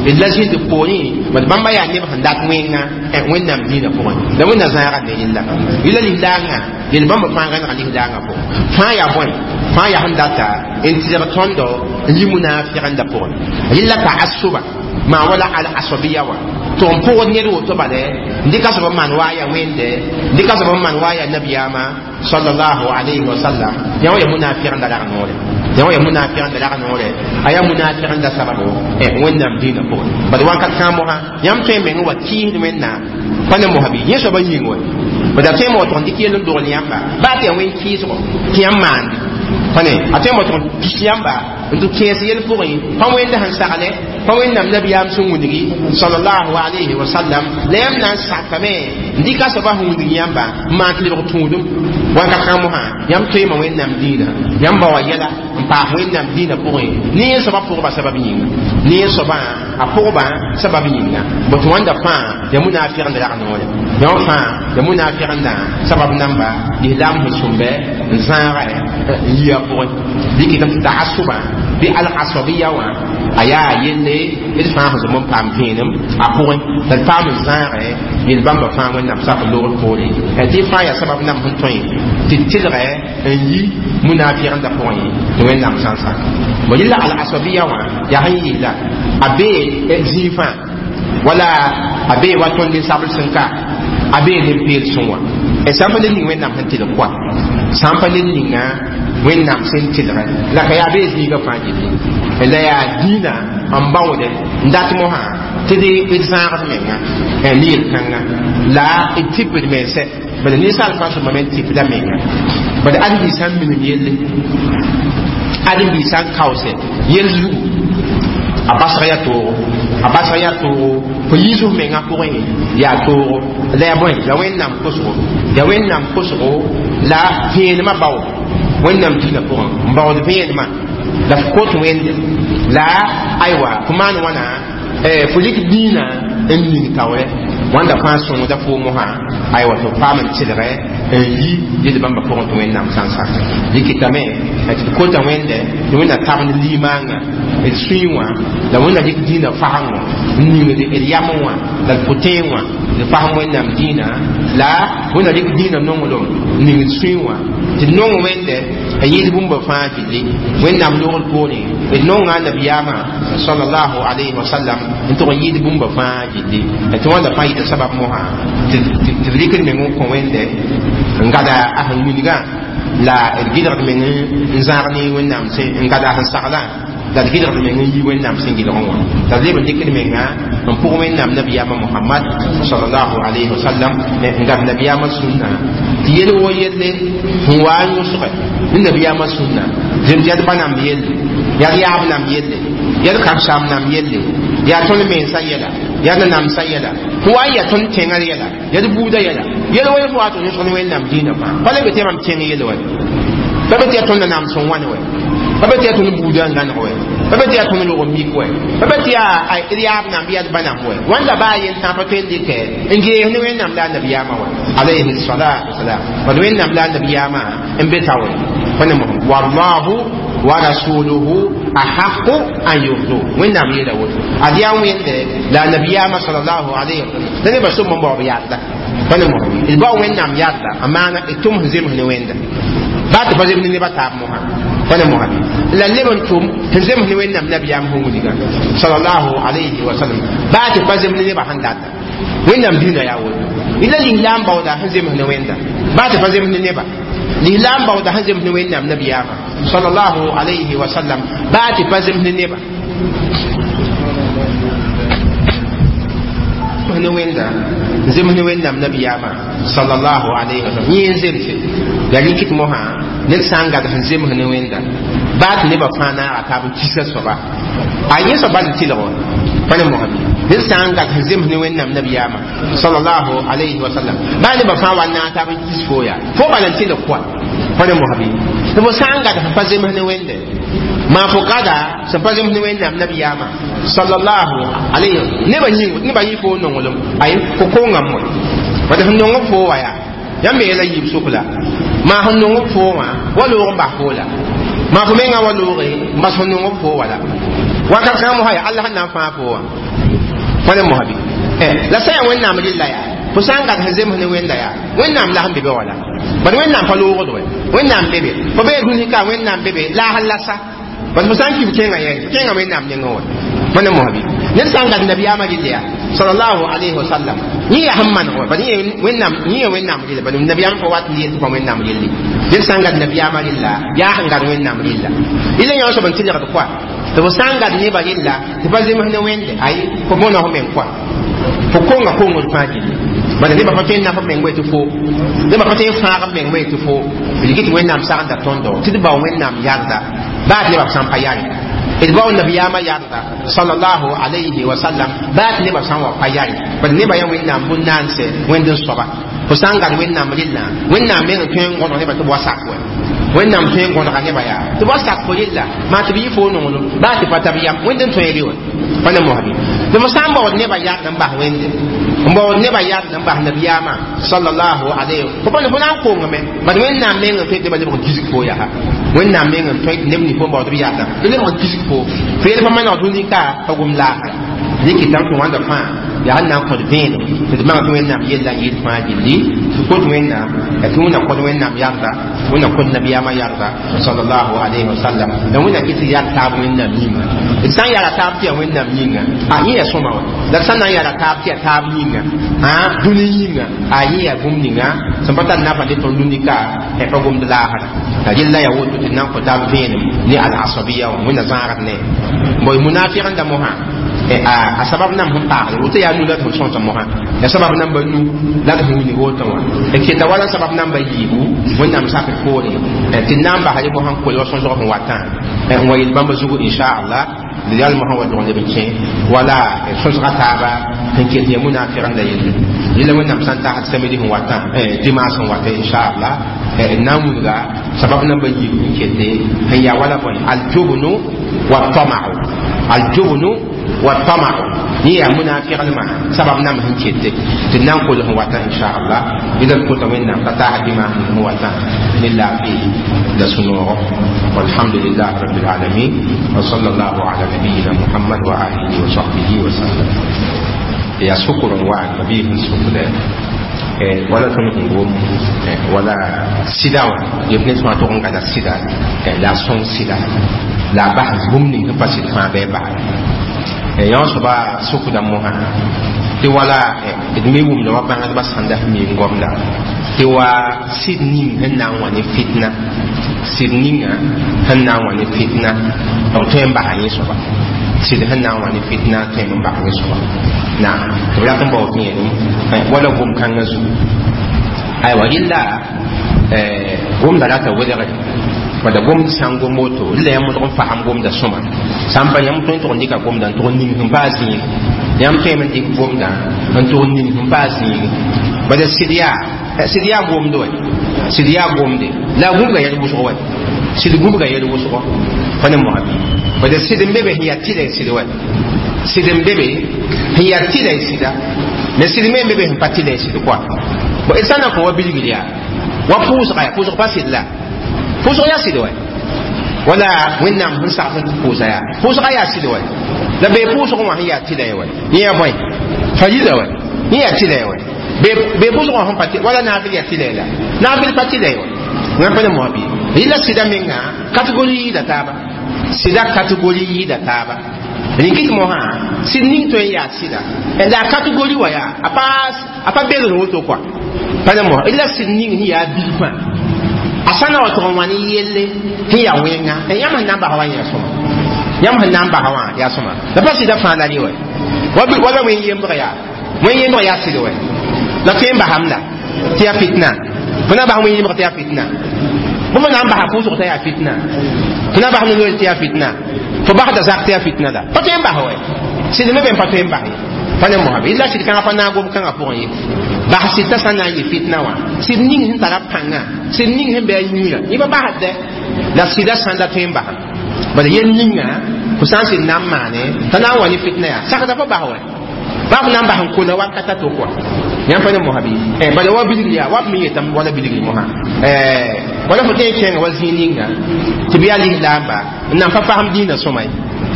ye d la zĩnd poorẽ bad bãmba yaa neb sẽn dat wẽnga Wẽnnaam dĩinã pʋgẽ la Wẽnna zãaga ne yella yella lislaangã yel bãmba fãa gãnega lislaangã pʋgẽ fãa yaa bõe fãa yaa sẽn data n tɩlg tõndo n yi munaafɩgenda pʋgẽ yella taassuba maa wala al asabiya wã tɩ n pʋgd ned woto bale n dɩka soab n maan wa a yaa Wẽnde n dɩka soab n maan wa a yaa nabiyaamã sallallahu alayhi wa sallam yã wã ya munaafɩgenda rag noore yã wã ya munaafɩgenda rag noore a yaa munaafɩgenda sababo Wẽnnaam dĩinã pʋgẽ bad wãnkat kãa mosã yãmb tõe n meng wa kɩɩsd Wẽnnaam pa ne mosã bɩ yẽ soabã yĩng wɛ bad a tõe n wa tʋg n dɩk yell n dogl yãmba baa tɩ yaa wẽn kɩɩsgo tɩ yãmb maande pa ne a tõe n wa tʋg n tus yãmba n tɩ kẽes yel pʋgẽ pa Wẽnda sẽn sagle pa Wẽnnaam nabiyaam sẽn wĩngi sallallahu alayhi wa sallam la yãmb na n sakame n dɩka soabã sẽn wĩng yãmba n maan tɩ lebg tũudum wãnkat kãng mosã yãmb toeema Wẽnnaam dĩinã yãmb ba wa yɛla n paas Wẽnnaam dĩinã pʋgẽ ne yẽ soabã pʋgba sabab yĩnga ne yẽ soabã a pʋgba sabab yĩnga bõ tɩ wãnda fãa yaa munaafɩgend rag noore yã wã fãa yaa munaafɩgenda sabab namba lislaam sẽn sũmbɛ n zãaga n yi a pʋgẽ bɩ kɩtame tɩ taasubã bɩ al-asabiya wã a yaa yelle d fãa sẽn zom n paam vẽenem a pʋgẽ la d paam n zãagɛ yel bãmba fãa Wẽnnaam sak n loogd poore tɩ fãa yaa sabab namb sẽn tõe tɩ tɩlgɛ n yi munaafɩgenda pʋgẽ tɩ Wẽnnaam sã n sak bõ yella al-asabiya wã yaa sẽn yɩɩla a bee zĩig fãa wala a bee wa tõnd ninsabl sẽn ka a bee nin-peel sẽn wã sã n pa ned ning Wẽnnaam sẽn tɩlg kɔa sã n pa ned ninga Wẽnnaam sẽn tɩlgɛ la ka yaa bee zĩigã fãa gilli la yaa dĩinã n baoode n dat mosã tɩ d zãagd menga ne yel-kãnga la d tɩpd mensɛ bala ninsaal fãa sõma me n tɩpda menga bala ãdem-biig sã n minim yelle ãdem-biig sã n kaoose yel zugu a basg yaa toogo a basg yaa toogo fo yiis f mengã pʋgẽ yaa toogo la yaa bõe la Wẽnnaam kosgo yaa Wẽnnaam kosgo la vẽenemã bao Wẽnnaam dĩinã pʋgẽ n baood vẽenemã la f kot Wẽnde la aywa fo maan wãna fo rɩk dĩinã n ning taoorɛ wãnda fãa sõngda foo mosã aywa tɩ f paam n tɩlgɛ n yi yel bãmba pʋgẽ tɩ Wẽnnaam sã n sak rɩkɩtame tɩ d kota Wẽnde tɩ Wẽnna tabend limaangã D sũyẽ wã la wẽnna dɩk dĩinã fagengo n ningd d yam wã la d pʋtẽeg wã d fasem wẽnnaam dĩinã la wẽnna dɩk dĩinã nonglem n ning d sũyẽ wã tɩ d nong wẽnde n yɩɩd bũmba fãa gilli wẽnnaam nogr poorẽ d nonga a nabiyaamã sallallahu alayhi wa sallam n tʋg n yɩɩd bũmba fãa gilli tɩ wãnda fãa yɩta sabab mosã tɩ d rɩkd meng n kõ wẽnde n gada a sẽn wilgã la d gɩlgd meng n zãag ne wẽnnaam sẽn n gada a sẽn saglã la d gɩlgd meng n yi wẽnnaam sẽn gɩlgẽ wã la d leb n dɩkd menga n pʋg wẽnnaam nabiyaamã Mohamad sallallahu alayhi wa sallam n gad nabiyaamã sũnna tɩ yel wo yelle sẽn wa n yõsge ne nabiyaamã sũnna zems yaa d ba namb yelle yaa d yaab namb yelle yaa d kãseam namb yelle yaa tõnd mensã yɛla yaa d namsã yɛla fo wa n yaa tõnd tẽngr yɛla yaa d buudã yɛla yel wa fo wa tɩ yõsg ne wẽnnaam dĩinã fãa pa le be tɩ mam tẽng yel wa pa be tɩ yaa tõnd nam sẽn wãne wɛ pa be tɩ yaa tõnd buudã n gãneg wɛ pa be tɩ yaa tõnd log n mik wɛ pa be tɩ yaa d yaab namb yaa d ba namb wɛ wãnda baa yel tãa pa tõe n dɩkɛ n gees ne wẽnnaam la a nabiyaamã wɛ alayhi salatu wasalam bad wẽnnaam la a nabiyaamã n be ta wɛ pa ne mosem wallahu wa rasuluhu ahaqu an yurdu wẽnnaam yeela woto ad yaa wẽnde la a nabiyaamã salallahu alayhi wasallam la nebã sʋm n baoob yarda pa ne mosem d bao wẽnnaam yarda a maana d tʋm sẽn zems ne wẽnda baa tɩ pa zems ne nebã taab mosã pa ne mosã la leb n tʋm sẽn zems ne wẽnnaam nabiyaam sẽn wilgã salallahu alayhi wasallam baa tɩ pa zems ne nebã sẽn data wẽnnaam dĩinã yaa woto la lislaam baooda sẽn zems ne wẽnda baa tɩ pa zems ne neba lislaam baooda sẽn zems ne wẽnnaam nabiyaamã sallallahu alayhi wa sallam baa tɩ pa zems ne neba ne wẽnda n zems ne wẽnnaam nabiyaamã sallallahu alayhi wa sallam yẽ n zemse la rɩkɩt mosã ned sã n gad sẽn zems ne wẽnda baa tɩ nebã fãa naaga taab n kisa soaba a yẽ soab bal n tɩlg wa pa ne mosã ned sã n gad sẽn zems ne wẽnnaam nabiyaamã sallallahu alayhi wa sallam baa nebã fãa wa naag taab n kis fo yaa fo bal n tɩlg koa pa ne mosã bɩ tɩ fo sã n gad sẽn pa zems ne wẽnde maa fo gada sẽn pa zems ne wẽnnaam nabiyaamã sallallahu alayhi nebã yĩng nebã yĩ fo nonglem ay fo kongame wã bad sẽn nong b fo wa yaa yãmb me yɛla yiib sʋk la maa sẽn nong b fo wã wa loog n bas fo la maa fo mengã wa looge n bas sẽn nong b fo wa la wakat kãngã mosã yaa Allah sẽn na n fãa fo wã pa ne mosã bɩ la sã yaa wẽnnaam rɩlla yaa fo sã n gad sẽn zems ne wẽnda yaa wẽnnaam la sẽn be be wa la bad wẽnnaam pa loogd wɛ wẽnnaam be be fo bee dũni ka wẽnnaam be be la a sẽn la sa bad fo sã n kib kẽngã yɛng kẽngã wẽnnaam nengẽ wɛ pa ne mosã bɩ ned sã n gad nabiyaamã rɩlla yaa sallallahu alayhi wa sallam yẽ yaa sẽn maneg wɛ bad yẽ yaa wẽnnaam rɩlla bad nabiyaamã pa wat n yel tɩ pa wẽnnaam yelle ned sã n gad nabiyaamã rɩlla yaa sẽn gad wẽnnaam rɩlla rɩlla yã soab n tɩlgd koa tɩ fo sã n gad nebã rɩlla tɩ pa zems ne wẽnde ay fo bõna fo meng koa fo konga kongd fãa gilli bala nebã pa tõe n naf b meng wɛ tɩ fo nebã pa tõe n fãag b meng wɛ tɩ fo d rɩk tɩ wẽnnaam sagenda tõndo tɩ d bao wẽnnaam yarda baa tɩ nebã sã n pa yare d bao nabiyaamã yarda sallallahu alayhi wa sallam baa tɩ nebã sã n wa pa yare bad nebã yaa wẽnnaam bũn-naanse wẽnd n soaba fo sã n gad wẽnnaam rɩllã wẽnnaam meng n tõe n gõdg nebã tɩ b wa sak wɛ wẽnnaam tõe n gõdga nebã yaa tɩ b wa sak fo rɩlla maa tɩ b yɩ fo nonglem baa tɩ pa tab yam wẽnd n tõe rɩ wɛ pa ne mosbi tɩ fo sã n baood nebã yard n bas wẽnde n baood nebã yard n bas nabiyaamã sallallahu alayhi fo pa ne fo na n kongame bad wẽnnaam meng n tõe tɩ nebã lebg n kisg fo yaa wẽnnaam meng n tõe tɩ neb ning fo n baood b yardã tɩ lebg n kisg fo fo yel pa maneg dũni ka pa gom laasra rɩkɩtame tɩ wãnda fãa yaa n na n kõt vẽenem tɩ d bãng tɩ wẽnnaam yella n yɩɩd fãa gilli tɩ kot wẽnnaam tɩ wẽnna kõt wẽnnaam yarda wẽnna kõt nabiyaamã yarda sallallahu alayhi wa sallam la wẽnna kɩ tɩ yar taab wẽnnaam yĩnga d sã n yara taab tɩ yaa wẽnnaam yĩnga a yẽ yaa sõma wã la d sã n na n yara taab tɩ yaa taab yĩnga dũni yĩnga a yẽ yaa bũmb ninga sẽn pa tar nafa ne tõnd dũni ka pa gomd laasra la yella yaa woto tɩ d na n kõ taab vẽenem ne al-asabiya wã wẽnna zãagd ne boy munafiq n da mosã a sabab nam sẽn paagre woto yaa nu la d sẽn sõs mosã ya sabab namba nu la d sẽn wilg woto wã d keta wala sabab namba yiibu wẽnnaam sakr poore tɩ d na n basa rẽ mosã n kol wa sõsg sẽn watã n wa yel bãmba zugu inchallah d yal mosã wa dog leb n kẽ wala sõsga taaba sẽn ket ya munafiq n da yelle yella wẽnnaam sã n tagsd samedi sẽn watã dimanche sẽn wata inchallah d na n wilga sabab namba yiibu sẽn kete sẽn yaa wala bõe aljubnu wa tamau aljubnu Wa tamau yẽ yaa munafignema sabab nam sẽn kete tɩ d na n kolg n wata inchallah d kota Wẽnnaam t'a taas dɩma sẽn wata ne laafɩ la sũ-noogo. Walhamdulillah rabbil alamin wa sallallahu ala nabiyina Muhammad wa alihi wa sahbihi wa sallam. Yaa sʋkr n wa mabiis sẽn sʋkdɛ wala tõnd sẽn gom wala sɩda wã yef ne sõa tʋg n gada sɩda la a sõng sɩda la a bas bũmb ning sẽn pa sɩd fãa bɩ a bas yõ soaba sʋkda mosã tɩ wala d me wʋmda wa bãngdbã sãnda sẽn mi n gomda tɩ wa sɩd ning sẽn na n wa ne fitna, sɩd ninga sẽn na n wa ne fitna b tõe n basa yẽ soaba, sɩd sẽn na n wa ne fitna tõe n bas yẽ soaba naam tɩ b rat n baood yẽlem wala gom-kãngã zugu. Aywa, rɩlla gomda rata welgre bala gomd sã n gom woto la yãmb tʋg n fasem gomda sõma sã n pa yãmb tõe n tʋg n dɩka gomda n tʋg n ning sẽn paa zĩig, yãmb tõeme n dɩk gomdã n tʋg n ning sẽn paa zĩig. Bala sɩd yaa gomd wɛ, sɩd yaa gomde la a gũbga yɛl wʋsg wɛ, sɩd gũbga yɛl wʋsgɔ pa ne moa bɩ. Bala sɩd n be be sẽn yaa tɩla y sɩd wɛ, sɩd n be be sẽn yaa tɩla y sɩda, mais sɩd me n be be sẽn pa tɩla y sɩd kɔa. Bon, d sã n na kõ wa bilgr yaa wa pʋʋsga yaa pʋʋsg pa sɩd la pʋʋsg yaa sɩd wɛ, wala Wẽnnaam sẽn sags n tɩ pʋʋsa yaa pʋʋsga yaa sɩd wɛ, la bee pʋʋsg wã sẽn yaa tɩla ye wɛ, yẽ yaa bõe farida wɛ, yẽ yaa tɩla ye wɛ, bee pʋʋsg wã sẽn pa wala naafɩl yaa tɩla ye la naafɩl pa tɩla ye wɛ. Wẽn pa ne moa bɩ rɩla sɩda menga kategori yɩɩda taaba, sɩda kategori yɩɩda taaba. Rĩkɩt mosã sɩd ning tõe n yaa sɩda la a kategori wã yaa a pa belg woto kɔa pa ne moa rɩla sɩd ning sẽn yaa bilfã a sã na wa tʋg n wa ne yelle sẽn yaa wẽnga yãmb sẽn na n basa wã yaa sõma, yãmb sẽn na n basa wã yaa sõma la pa sɩda fãa la rɩ wɛ wala wẽn yembg yaa wẽn yembg yaa sɩd wɛ la tõe n basam la tɩ yaa fitna fo na n bas wẽn yembg tɩ yaa fitna bõmb na n basa pʋʋsg t'a yaa fitna fo na n bas no-loeer tɩ yaa fitna fo basda zak tɩ yaa fitna la pa tõe n bas wɛ sɩd me be n pa tõe n bas ye pa ne moa bɩ la sɩd kãngã pa naag gom kãngã pʋgẽ ye bas sɩd t'a sã n na n yɩ fitna wã sɩd ning sẽn tara pãnga sɩd ning sẽn bɩ a yĩnga yẽ pa basdɛ la sɩda sãnda tõe n basa bala yel ninga fo sã n sɩd na n maane t'a na n wa ne fitna yaa sakda fo bas wɛ baa f na n bas n kola wakata to kɔa yãmb pa ne mosã bɩ bala wa bilgr yaa wa b me yetame wala bilgr mosã wala fo tõe n kẽnga wa zĩig ninga tɩ bɩ yaa lislaamba n nan pa fasem dĩinã sõma ye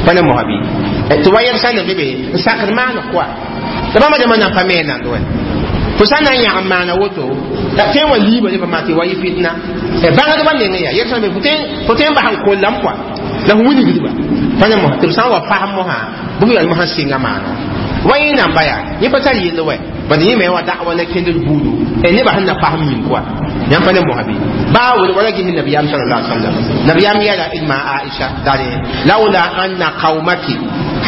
pa ne mosã bɩ tɩ wa yɛl sã n be be n sakd maan kɔa la bãmba dãmbã nan pa me nand wɛ fo sã n na n yãg n maana woto la tõe n wa liiba ne pa tɩ wa yɩ fitna bãngdbã meng yaa yɛl sã be fo tõe n bas n kollame kɔa la fo wilgdba pa ne mosã tɩ b sã n wa fasem mosã bɩ f yaa mosã sɩnga maano wa yẽ namba yaa yẽ pa tar yell wɛ bad yẽ me wa da'wa la kẽndr buudu nebã sẽn na fasem yĩng kɔa yãmb pa ne mosã bɩ baa wele wala ges nabiyaam sallallahu alaihi wasallam nabiyaam yɛla ilma Aisha dare laula anna qaumaki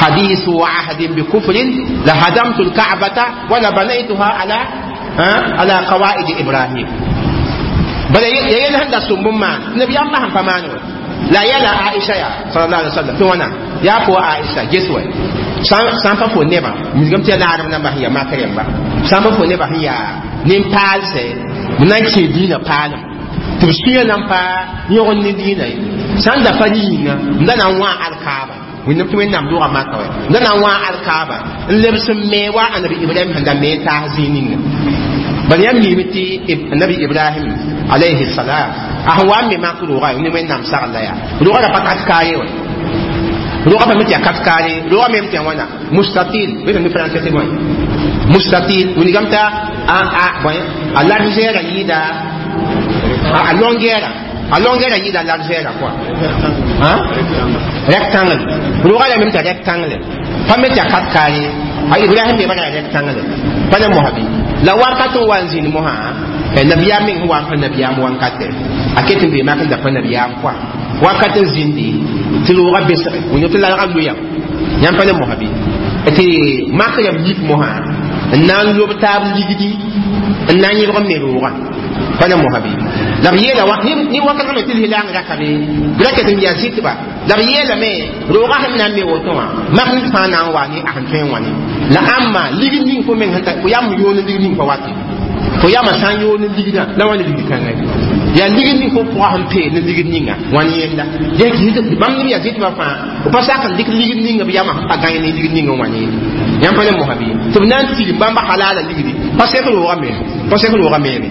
hadithu ahdin bikufrin la hadamtu alka'bata wala banaytuha ala qawaid Ibrahim. Bala ya yel sẽn da sʋm bũmb maan nabiyaam basẽn pa maan wɛ la yɛla Aisha ya sallallahu alaihi wasallam tɩ wãna yaa fo Aisha ges wɛ sã n pa fo nebã misgame tɩ yaa naadem namba sẽn yaa mak rẽmba sã n pa fo nebã sẽn yaa nin-paalsɛ b na n kẽ dĩinã paalem tɩ b sũyã na n pa yõgd ne dĩinã ye sã n da pa rɩ yĩnga n da na n wã alkaaba wẽnnaam tɩ Wẽnnaam dʋga maka wɛ n da na n wã alkaaba n lebs n me wa anabi Ibrahim sẽn da me n taas zĩig ninga. Bala yãmb miime tɩ anabi Ibrahim alayhi salam a sẽn wa n me mak rʋʋga ne Wẽnnaam sagl la yaa rʋʋga ra pa kat kaare wɛ rʋʋga pa me tɩ yaa kat kaare rʋʋga me tɩ yaa wãna mustatil bɩ ne français tɩ bõe mustatil wilgame t'a a largeur a yɩɩda a longueur, a longueur a yɩɩda largeur quoi, hein, rectangle rʋʋga la me tɩ rectangle pa me tɩ yaa kat kaare a Ibrahim me bara rectangle pa ne mosã bɩ la wakat n wa n zĩnd mosã nabiyaam meng sẽn wa n pa nabiyaam wankate a ket n bee mak n da pa nabiyaam kɔa wakat n zĩndi tɩ rooga besge wẽnd tɩ lalga loyam yãmb pa ne mosã bɩ tɩ mak yam yik mosã n na n lob taab ligdi n na n yẽbg n me roogã pa ne mosã bɩ la b yeela ne wakat me tɩ lislaang raka be b ra ket n yaa zɩtba la b yeelame roogã sẽn na n me woto wã mak ned fãa na n wa ne a sẽn tõe n wã ne la ãmba ligd ning fo meng sẽn ta fo yam yoon n ligd ning pa wate fo yama sã n yoon n ligdã la wa ne ligd kãngã Yaa ligd ning fo pʋga sẽn pee ne ligd ninga wãn yẽnda bãmb neb yaa zɩtbã fãa b pa sak n dɩk ligd ninga b yamã sẽn pa gãe ne ligd ninga wã ne yãmb pa ne mosa bɩ tɩ b na n tirim bãmba halala ligdi pa sek roogã me pa sek roogã meeme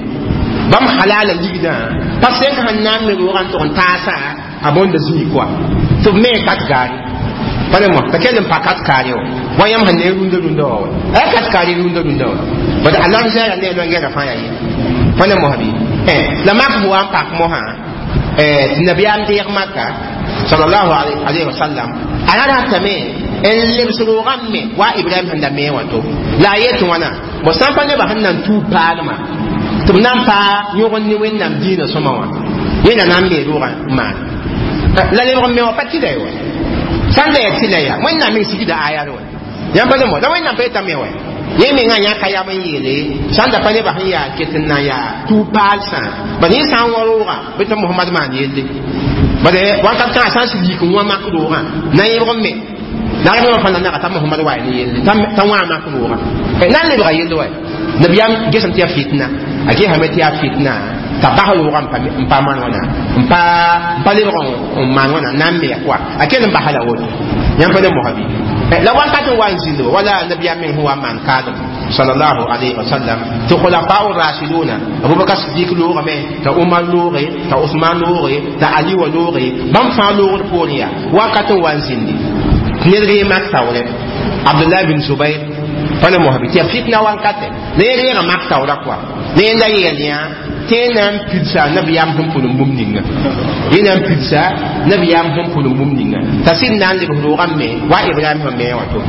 bãmb halala ligdã pa sek sẽn na n me roogã n tʋg n taasa a bõnda zĩig koa tɩ b me kat gaare pa ne mo t'a kell n pa kat kaare wa wa yãmb sẽn ne rũndã rũndã wa wa a kat kaare rũndã rũndã wa bad a lamzɛɛra ne loengɛra fãa yaa ye pa ne mosa bɩ la mak sẽn wa n pak mosã tɩ nabiyaam deeg maka sallallahu alayhi wa sallam a ra ratame n lebs roogã me wa Ibrahim sẽn da mee wã to la a yet wãna bõ sã n pa nebã sẽn na n tuub paalmã tɩ b na n paa yõg ne Wẽnnaam dĩinã sõma wã yẽna na n mee roogã n maan la lebg n me wã pa tɩla ye wa sã n la yaa tɩla yaa Wẽnnaam meng sigda aya wa yãmb pa ne mo la Wẽnnaam pa yetame wa yẽ mengã yãka yam n yeele sã n da pa nebã sẽn yaa ket n na n yaa tuub paalsã bad yẽ sã n wã roogã bɩ tɩ Mohamad maan yelle bad wakat kãga sã n sɩd yik n wã mak roogã na yẽbg n me la rem fãa na naga t'a Mohamad wa ne yelle t'a wã mak roogã na n lebga yelle wa nabiyaam gesem tɩ yaa fitna a gesame tɩ yaa fitna t'a bas roogã n pa maan wãna n pa lebg n maan wãna na n me koa a kell n basa la woto yãmb pa ne mosa bɩ la wakat n wa n zĩnd wala nabiyaam meng sẽn wa n maan kaalem sallallahu alayhi wa sallam tɩ khulafa'u rashiduna Abubakar Sidik loogame t'a Umar looge t'a Usman looge t'a Ali wa looge bãmb fãa loogd poorẽ yaa wakat n wa n zĩndi ned ree mak taoorɛ Abdullah bin Zubair pa ne mosa bɩ tɩ yaa fitna wankatɛ la yẽ reega mak taoora koa la yẽnda yeel yã tɩ yẽ na n pidsa nabiyaam sẽn pʋlem bũmb ninga yẽ na n pidsa nabiyaam sẽn pʋlem bũmb ninga t'a sɩd na n lebs roogã me wa Ibrahim sẽn mee wã to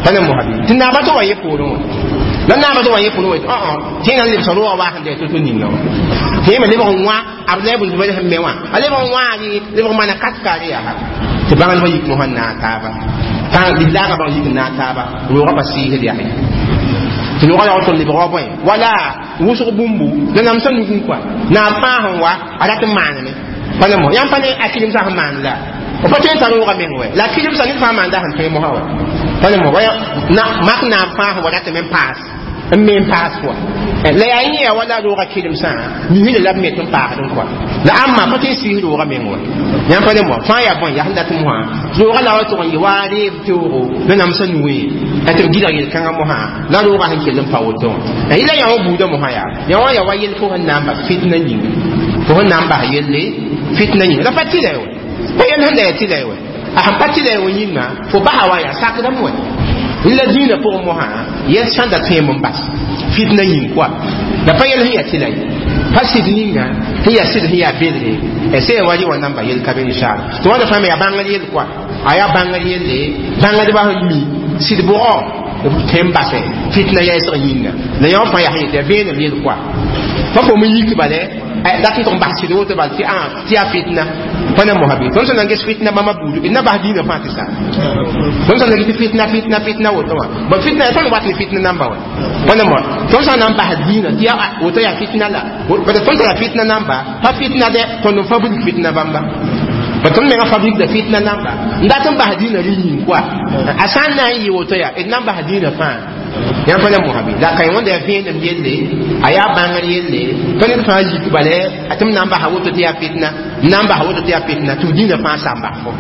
pa ne mosa bɩ tɩ naaba tɩ wa yẽ poorẽ wã la naaba tɩ wa yẽ poorẽ wã tɩ yẽ na n lebsa roogã waa sẽn da to-to ninga wã tɩ yẽ me lebg n wã Abdullah ibn Zubair sẽn me wã a lebg n wãa lebg n maana kat kaare yaa tɩ bãngdbã yik mosã n naag taaba lislaagã bãng yik n naag taaba roogã pa sɩɩsd yaa tɩ roogã yaool tɩ lebg wa bõe wala wʋsg bũmbu la namsã nugẽ koa naab fãa sẽn wa a rat n maaneme pa ne mo yãmb pa ne a kɩremsã sẽn maan la b pa tõe n tar roogã meng wɛ la kɩremsã ned fãa maanda sẽn tõe mosã wa pa ne mo mak naab fãa sẽn wa ratame n paas n me n paas koa la yaa yẽ yaa wala roogã kɩremsã misda la b me tɩ n paasd n koa la ãmba pa tõe n sɩɩs roogã meng wa yãmb pa ne mo fãa yaa bõe yaa sẽn dat mosã roogã la wa tʋg n yɩ waa reeb teoogo la namsã nuẽ tɩ b gɩlg yel-kãngã mosã la roogã sẽn kell n pa woto wã yɩla yã wã buudã mosã yaa yã wã yaa wa yel fo sẽn na n bas fitna yĩnga fo sẽn na n bas yelle fitna yĩnga la pa tɩla ye wa pa yel sẽn da yaa tɩla ye wa a sẽn pa tɩla ye wa yĩnga fo basa wa yaa sakdame wa la dĩinã pʋgẽ mosã yɛl sãn da tõem n bas fitna yĩng koa la pa yɛl sẽn yaa tɩla ye pa sɩd ninga sẽn yaa sɩd sẽn yaa belge sẽn wa rɩ wa namba yel ka be inshallah tɩ wãnda fãa me yaa bãngr yel koa a yaa bãngr yelle bãngdbã sẽn mi sɩd bʋgɔ b tõe n basɛ fitna yɛɛsg yĩnga la yã wã fãa yaa sẽn yetɩ yaa vẽenem yel koa pa fo me yik bale dat n tʋg n bas sɩd woto bal tɩ tɩ yaa fitna pa na mosa bɩ tõnd sẽn na n ges fitna bãmba buudu d na bas dĩinã fãa tɩ sa tõnd sẽn na ges tɩ fitna fitna fitna woto wã bon fitna tõnd wat ne fitna namba wa pa na moa tõnd sã n na n bas dĩinã tɩ yaa woto yaa fitna la bad tõnd tara fitna namba pa fitna dɛ tõnd n fabrique fitna bãmba ba tõnd menga fabrique da fitna namba n dat n bas dĩinã rɩ yĩng koa a sã n na n yɩ woto yaa d na n bas dĩinã fãa yãmb pa ne mosa bɩ la ka wẽnda yaa vẽenem yelle a yaa bãngr yelle tɩ ned fãa yik bale tɩ m na n basa woto tɩ yaa fitna n na n basa woto tɩ yaa fitna tɩ b dĩinã fãa sa n bas fo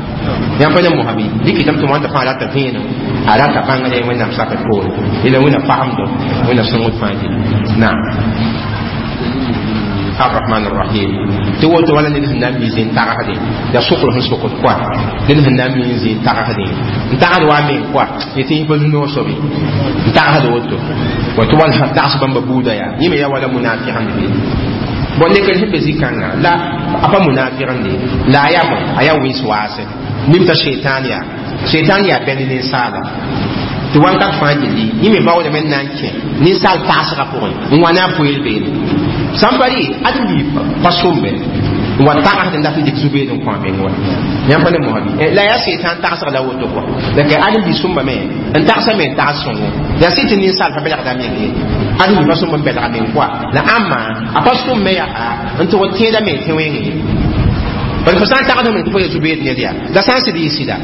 yãmb pa ne mosa bɩ dɩkɩtame tɩ wãnda fãa rata vẽenem a rata bãngr Wẽnnaam sakr poore yela Wẽnna fagemdo Wẽnna sõngd fãa gil naam الرحمن الرحيم tɩ woto wala ned sẽn na n mi zĩn tagsdẽ yaa sokr sẽn sokd koa ned sẽn na n mi zĩn tagsdẽ n tagsd wa meng koa yetɩ yẽ pa zu-noog sobe n tagsd woto wa tɩ wall tags bãmba buuda yaa yẽ me yaa wala munafiqẽnd be bon lekr sẽn be zĩ-kãngã la a pa munafiqẽnde la a yaa bõe a yaa wẽns waase nim t'a sheitan yaa sheitan yaa bɛnd ninsaala tɩ wakat fãa gilli yẽ me baoodame n na n kẽ ninsaal tagsgã pʋgẽ n wa ne a poeel beene sãn pa rɩ ad n bii pa sombe n wa tagsd n dat n dɩk zu-beed n kõ a meng wa yãmb pa ne mosã bɩ la yaa seitan tagsg la woto kɔa la ka ad n bii sõmba me n tagsa me n tags sõngo yaa sɩ tɩ ninsaal pa belgda meng ye ad n bii pa sõmb n belga meng kɔa la ãmba a pa sõm me yaa n tʋg n tẽeda me tẽ wẽnge bala fo sã n tagsd me tɩ fo ya zu-beed ned yaa la sã n sɩd yɩ sɩda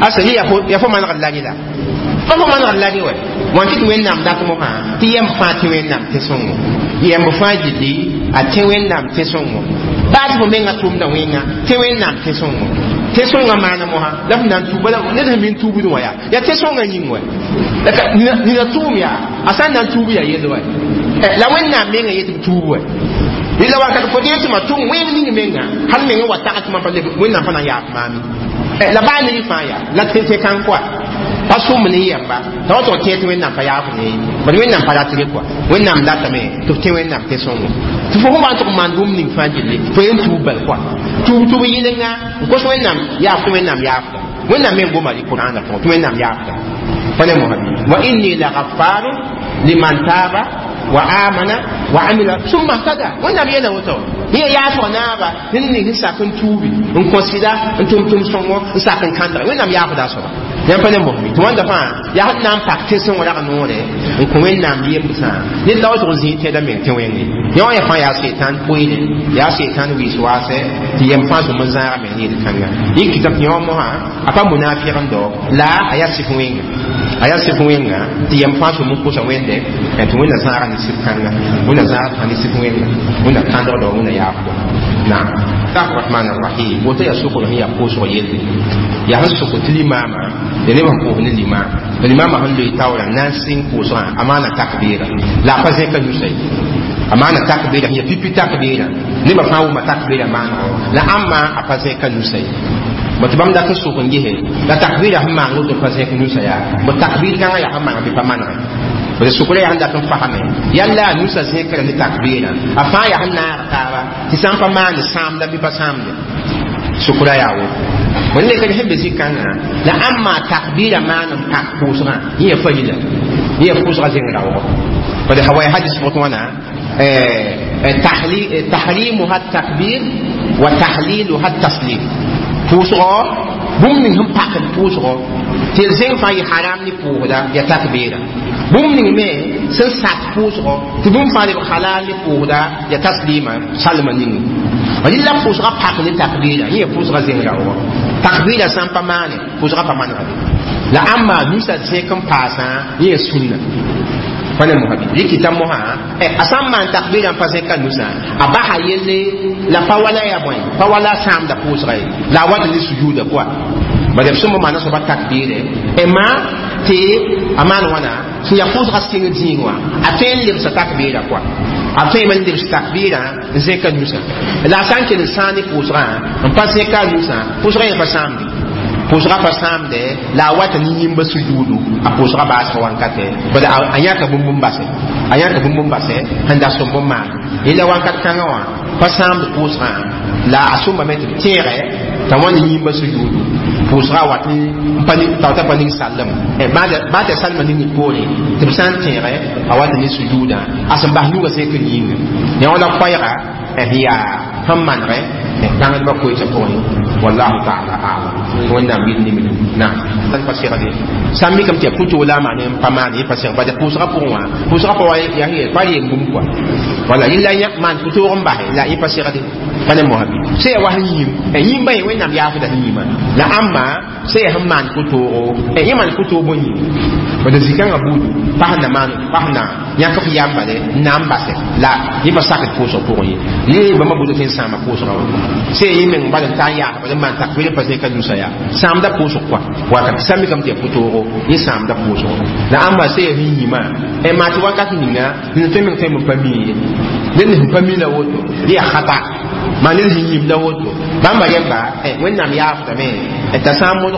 asa yẽ yaa fo manegd la rɩla Pa fo manegd la dẽ wɛ wãn tɩ tɩ Wẽnnaam dat mosã tɩ yɛmb fãa tẽ Wẽnnaam tẽ-sõngo yɛmb fãa gilli a tẽ Wẽnnaam tẽ-sõngo baa tɩ fo menga tʋmda wẽnga tẽ Wẽnnaam tẽ-sõngo tẽ-sõngã maana mosã la f na n tuub ned sẽn min tuubd wã yaa tẽ-sõngã yĩng wɛ nina tʋʋm yaa a sã n na n tuub yaa yell wɛ la Wẽnnaam menga yet b tuub wɛ rɩla wakat fo dee tɩ ma tʋm wẽng ning menga hal menga wa tag tɩ mam pa leb Wẽnnaam pa na n yaaf maami la baa ne fãa yaa la tẽ kãn kɔa pa sʋm ne yɛmba t'a wa tɩg tẽ tɩ Wẽnnaam pa yaaf ne bad Wẽnnaam pa ratre kɔa Wẽnnaam datame tɩ f tẽ Wẽnnaam tẽ-sõngo tɩ fo sẽn wa n tʋg maan bũmb ning fãa gilli fo yen tuub bal kɔa tuub tʋb yɩlenga n kos Wẽnnaam yaaf tɩ Wẽnnaam yaafda Wẽnnaam meng goma rɩ Kurãana pʋgẽ tɩ Wẽnnaam yaafda pa ne mosã wa inni la gafaru liman taaba wa amana wa amila summa ihtada Wẽnnaam yeela woto yẽ yaasg naaba ned ning sẽn sak n tuubi n kõ sɩda n tʋm tʋm-sõngo n sak n kãndga Wẽnnaam yaafda a soaba yãmb pa ne mosme tɩ wãnda fãa yaa sẽn na n pak tẽ-sõng rag noore n kõ Wẽnnaam yembsã ned la wa tʋg n zĩig tẽedã meng tẽ wẽnge yã wã ya fãa yaa setan poeere yaa setan wɩɩs waasɛ tɩ yɛm fãa sõm n zãagame ne yel-kãnga yẽ kɩta tɩ yã wã mosã a pa munaafɩgendo la a yaa sɩf wẽnga a yaa sɩf wẽnga tɩ yɛm fãa sõm n kosa Wẽnde tɩ Wẽnna zãaga ne sɩf kãnga Wẽnna zãag ne sɩf wẽnga Wẽnna kãndgdo Wẽnna yaafdo naam الرحمن الرحيم woto yaa sokr sẽn yaa pʋʋsg yelle yaa sẽn sok tɩ limaama ya nebã pʋʋs ne limaam limaamã sẽn loe taoorã na n sɩng pʋʋsgã a maana takbiira la a pa zẽka nusa ye a maana takbiira sẽn yaa pipi takbiira nebã fãa wʋma takbiira maanego la ãmba a pa zẽka nusa ye bõ tɩ bãmb dat n sok n gese la takbiira sẽn maan woto pa zẽk nusa yaa bõ takbiir kãngã yaa sẽn maan bɩ pa manege bõe sʋkrã yaa sẽn dat n fasame yalla a nusa zẽkra ne takbiirã a fãa yaa sẽn naag taaba tɩ sã n pa maand sãamda bɩ pa sãamde sʋkrã yaa woto bõe lekd sẽn be zĩ-kãngã la ãmba takbiirã maan n pak pʋʋsgã yẽ ya farila yẽ ya pʋʋsgã zẽng raoogo bad hawa hadis pʋgẽ wãna tahrimuha takbir wa tahliluha taslim pʋʋsgɔ bũmb ning sẽn pakd pʋʋsgɔ tɩ d zẽng fãa yɩ haram ne pʋʋsda ya takbiira bũmb ning me sẽn sat pʋʋsgɔ tɩ bũmb fãa leb halal ne pʋʋsda ya taslima salma ningu rɩla pʋʋsgã pak ne takbiira yẽ ya pʋʋsgã zẽng raoogɔ takbiira sã n pa maane pʋʋsgã pa manegde la ãmba nusa zẽk n paasã yẽ ya sũnna pa ne mosã bɩ rɩkɩta mosã a sã n maan takbiirã n pa zẽka nusã a basa yelle la pa wala ya bõe pa wala a sãamda pʋʋsga ye la a wat ne sujuuda pʋa bad b sõm maana soaba takbiire ma tɩ a maan wãna sẽn yaa pʋʋsga sɩng zĩig wã a tõe n lebsa takbiirã pʋa a tõe n lebs takbiirã n zẽka nusã la a sã n kell n sãag ne pʋʋsgã n pa zẽka a nusã pʋʋsgã yẽ pa sãamde pʋʋsgã pa sãamde la a wata ne yĩmba sujuudu a pʋʋsgã baasg wankatɛ bad a yãka bũmb n basɛ a yãka bũmb n basɛ sẽn da sõmb n maan yẽla wakat kãngã wã pa sãamd pʋʋsgã la a sõmbame tɩ b tẽegɛ t'a wã ne yĩmba sujuudu pʋʋsgã wat n pa pa ning sallem baa tɩ salma ning poore tɩ b sã n tẽegɛ a wat ne sujuudã a sẽn bas nugã zẽk n yĩnga yã wã la koɛɛga sẽn yaa sẽn manegɛ bãngdbã koeesã pʋgẽ wallahu taala alam Wẽnnaam yɩl nimdum naam pa segde sã n mikame tɩ yaa pʋtoo la a maan n pa maan yẽ pa seg bad pʋʋsgã pʋgẽ wã pʋʋsgã pa wa yaa pa reem bũmb kɔa wala yẽla maan pʋtoog n basɛ la yẽ pa segde pa ne mosã bɩ sã yaa wa sẽn yĩm yĩmbã yẽ Wẽnnaam yaafda sẽn yĩmã la ãmba sã yaa sẽn maan pʋtoogo yẽ maan pʋtoog bõe yĩng bad zĩ-kãngã buudu pa sẽn na maan pa sẽn na yãk f yambale n na n basɛ la yẽ pa sakd pʋʋsg pʋgẽ ye yẽ bãmba buudã tõe n sãama pʋʋsgã wa sã yẽ meng bal n ta n yaas bal n maan takbir n pa zẽka nusa yaa sãamda pʋʋsg kɔa wakat sã mikame tɩ yaa pʋtoogo yẽ sãamda pʋʋsgo la ãmba sã yaa sẽn yĩmã maa tɩ wakat ninga ned tõe meng tõe n pa mi ye ned sẽn pa mi la woto dɩ yaa khata maa ned sẽn yĩm la woto bãmba rẽmba Wẽnnaam yaafdame t'a sã n modg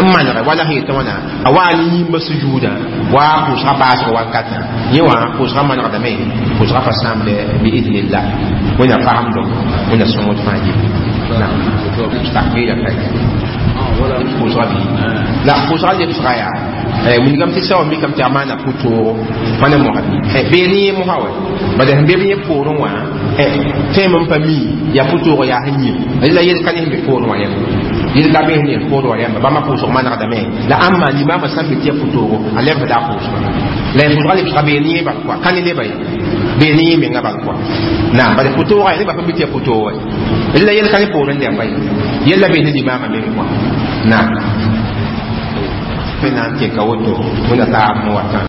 n manege wala sẽn yetɩ wãna a waa ne yĩmba sujuudã wa pʋʋsgã baasg wankatã yẽ wã pʋʋsgã manegdame pʋʋsgã pa sãamde biidnillah Wẽnna fagemdo Wẽnna sõngd fãa gil takbiira ka pʋʋsgã bɩ la pʋʋsgã lebsga yaa wilgame tɩ sa wa mikame tɩ a maana pʋtoogo pa ne mosã bɩ bee ne yẽ mosã wɛ bad sẽn be b yẽ poorẽ wã tõem n pa mi yaa pʋtoogo yaa sẽn yĩm la yel ka ne sẽn be poorẽ wã yẽmba yel ka be sẽn yel poorẽ wã yẽmba bãmba pʋʋsg manegdame la ãmba limaamã sã n be tɩ ya pʋtoogo a lebsda a pʋʋsga la ya pʋʋsga lebsga bee ne yẽ bal kɔa ka ne neba ye bee ne yẽ menga bal kɔa naam bad pʋtoogã neba pa mi tɩ ya pʋtoogo ye la yel ka ne poorẽ dẽmba ye yella bee ne limaamã meng kɔa naam. Wẽnnaam teka woto, wẽnda taab n watã.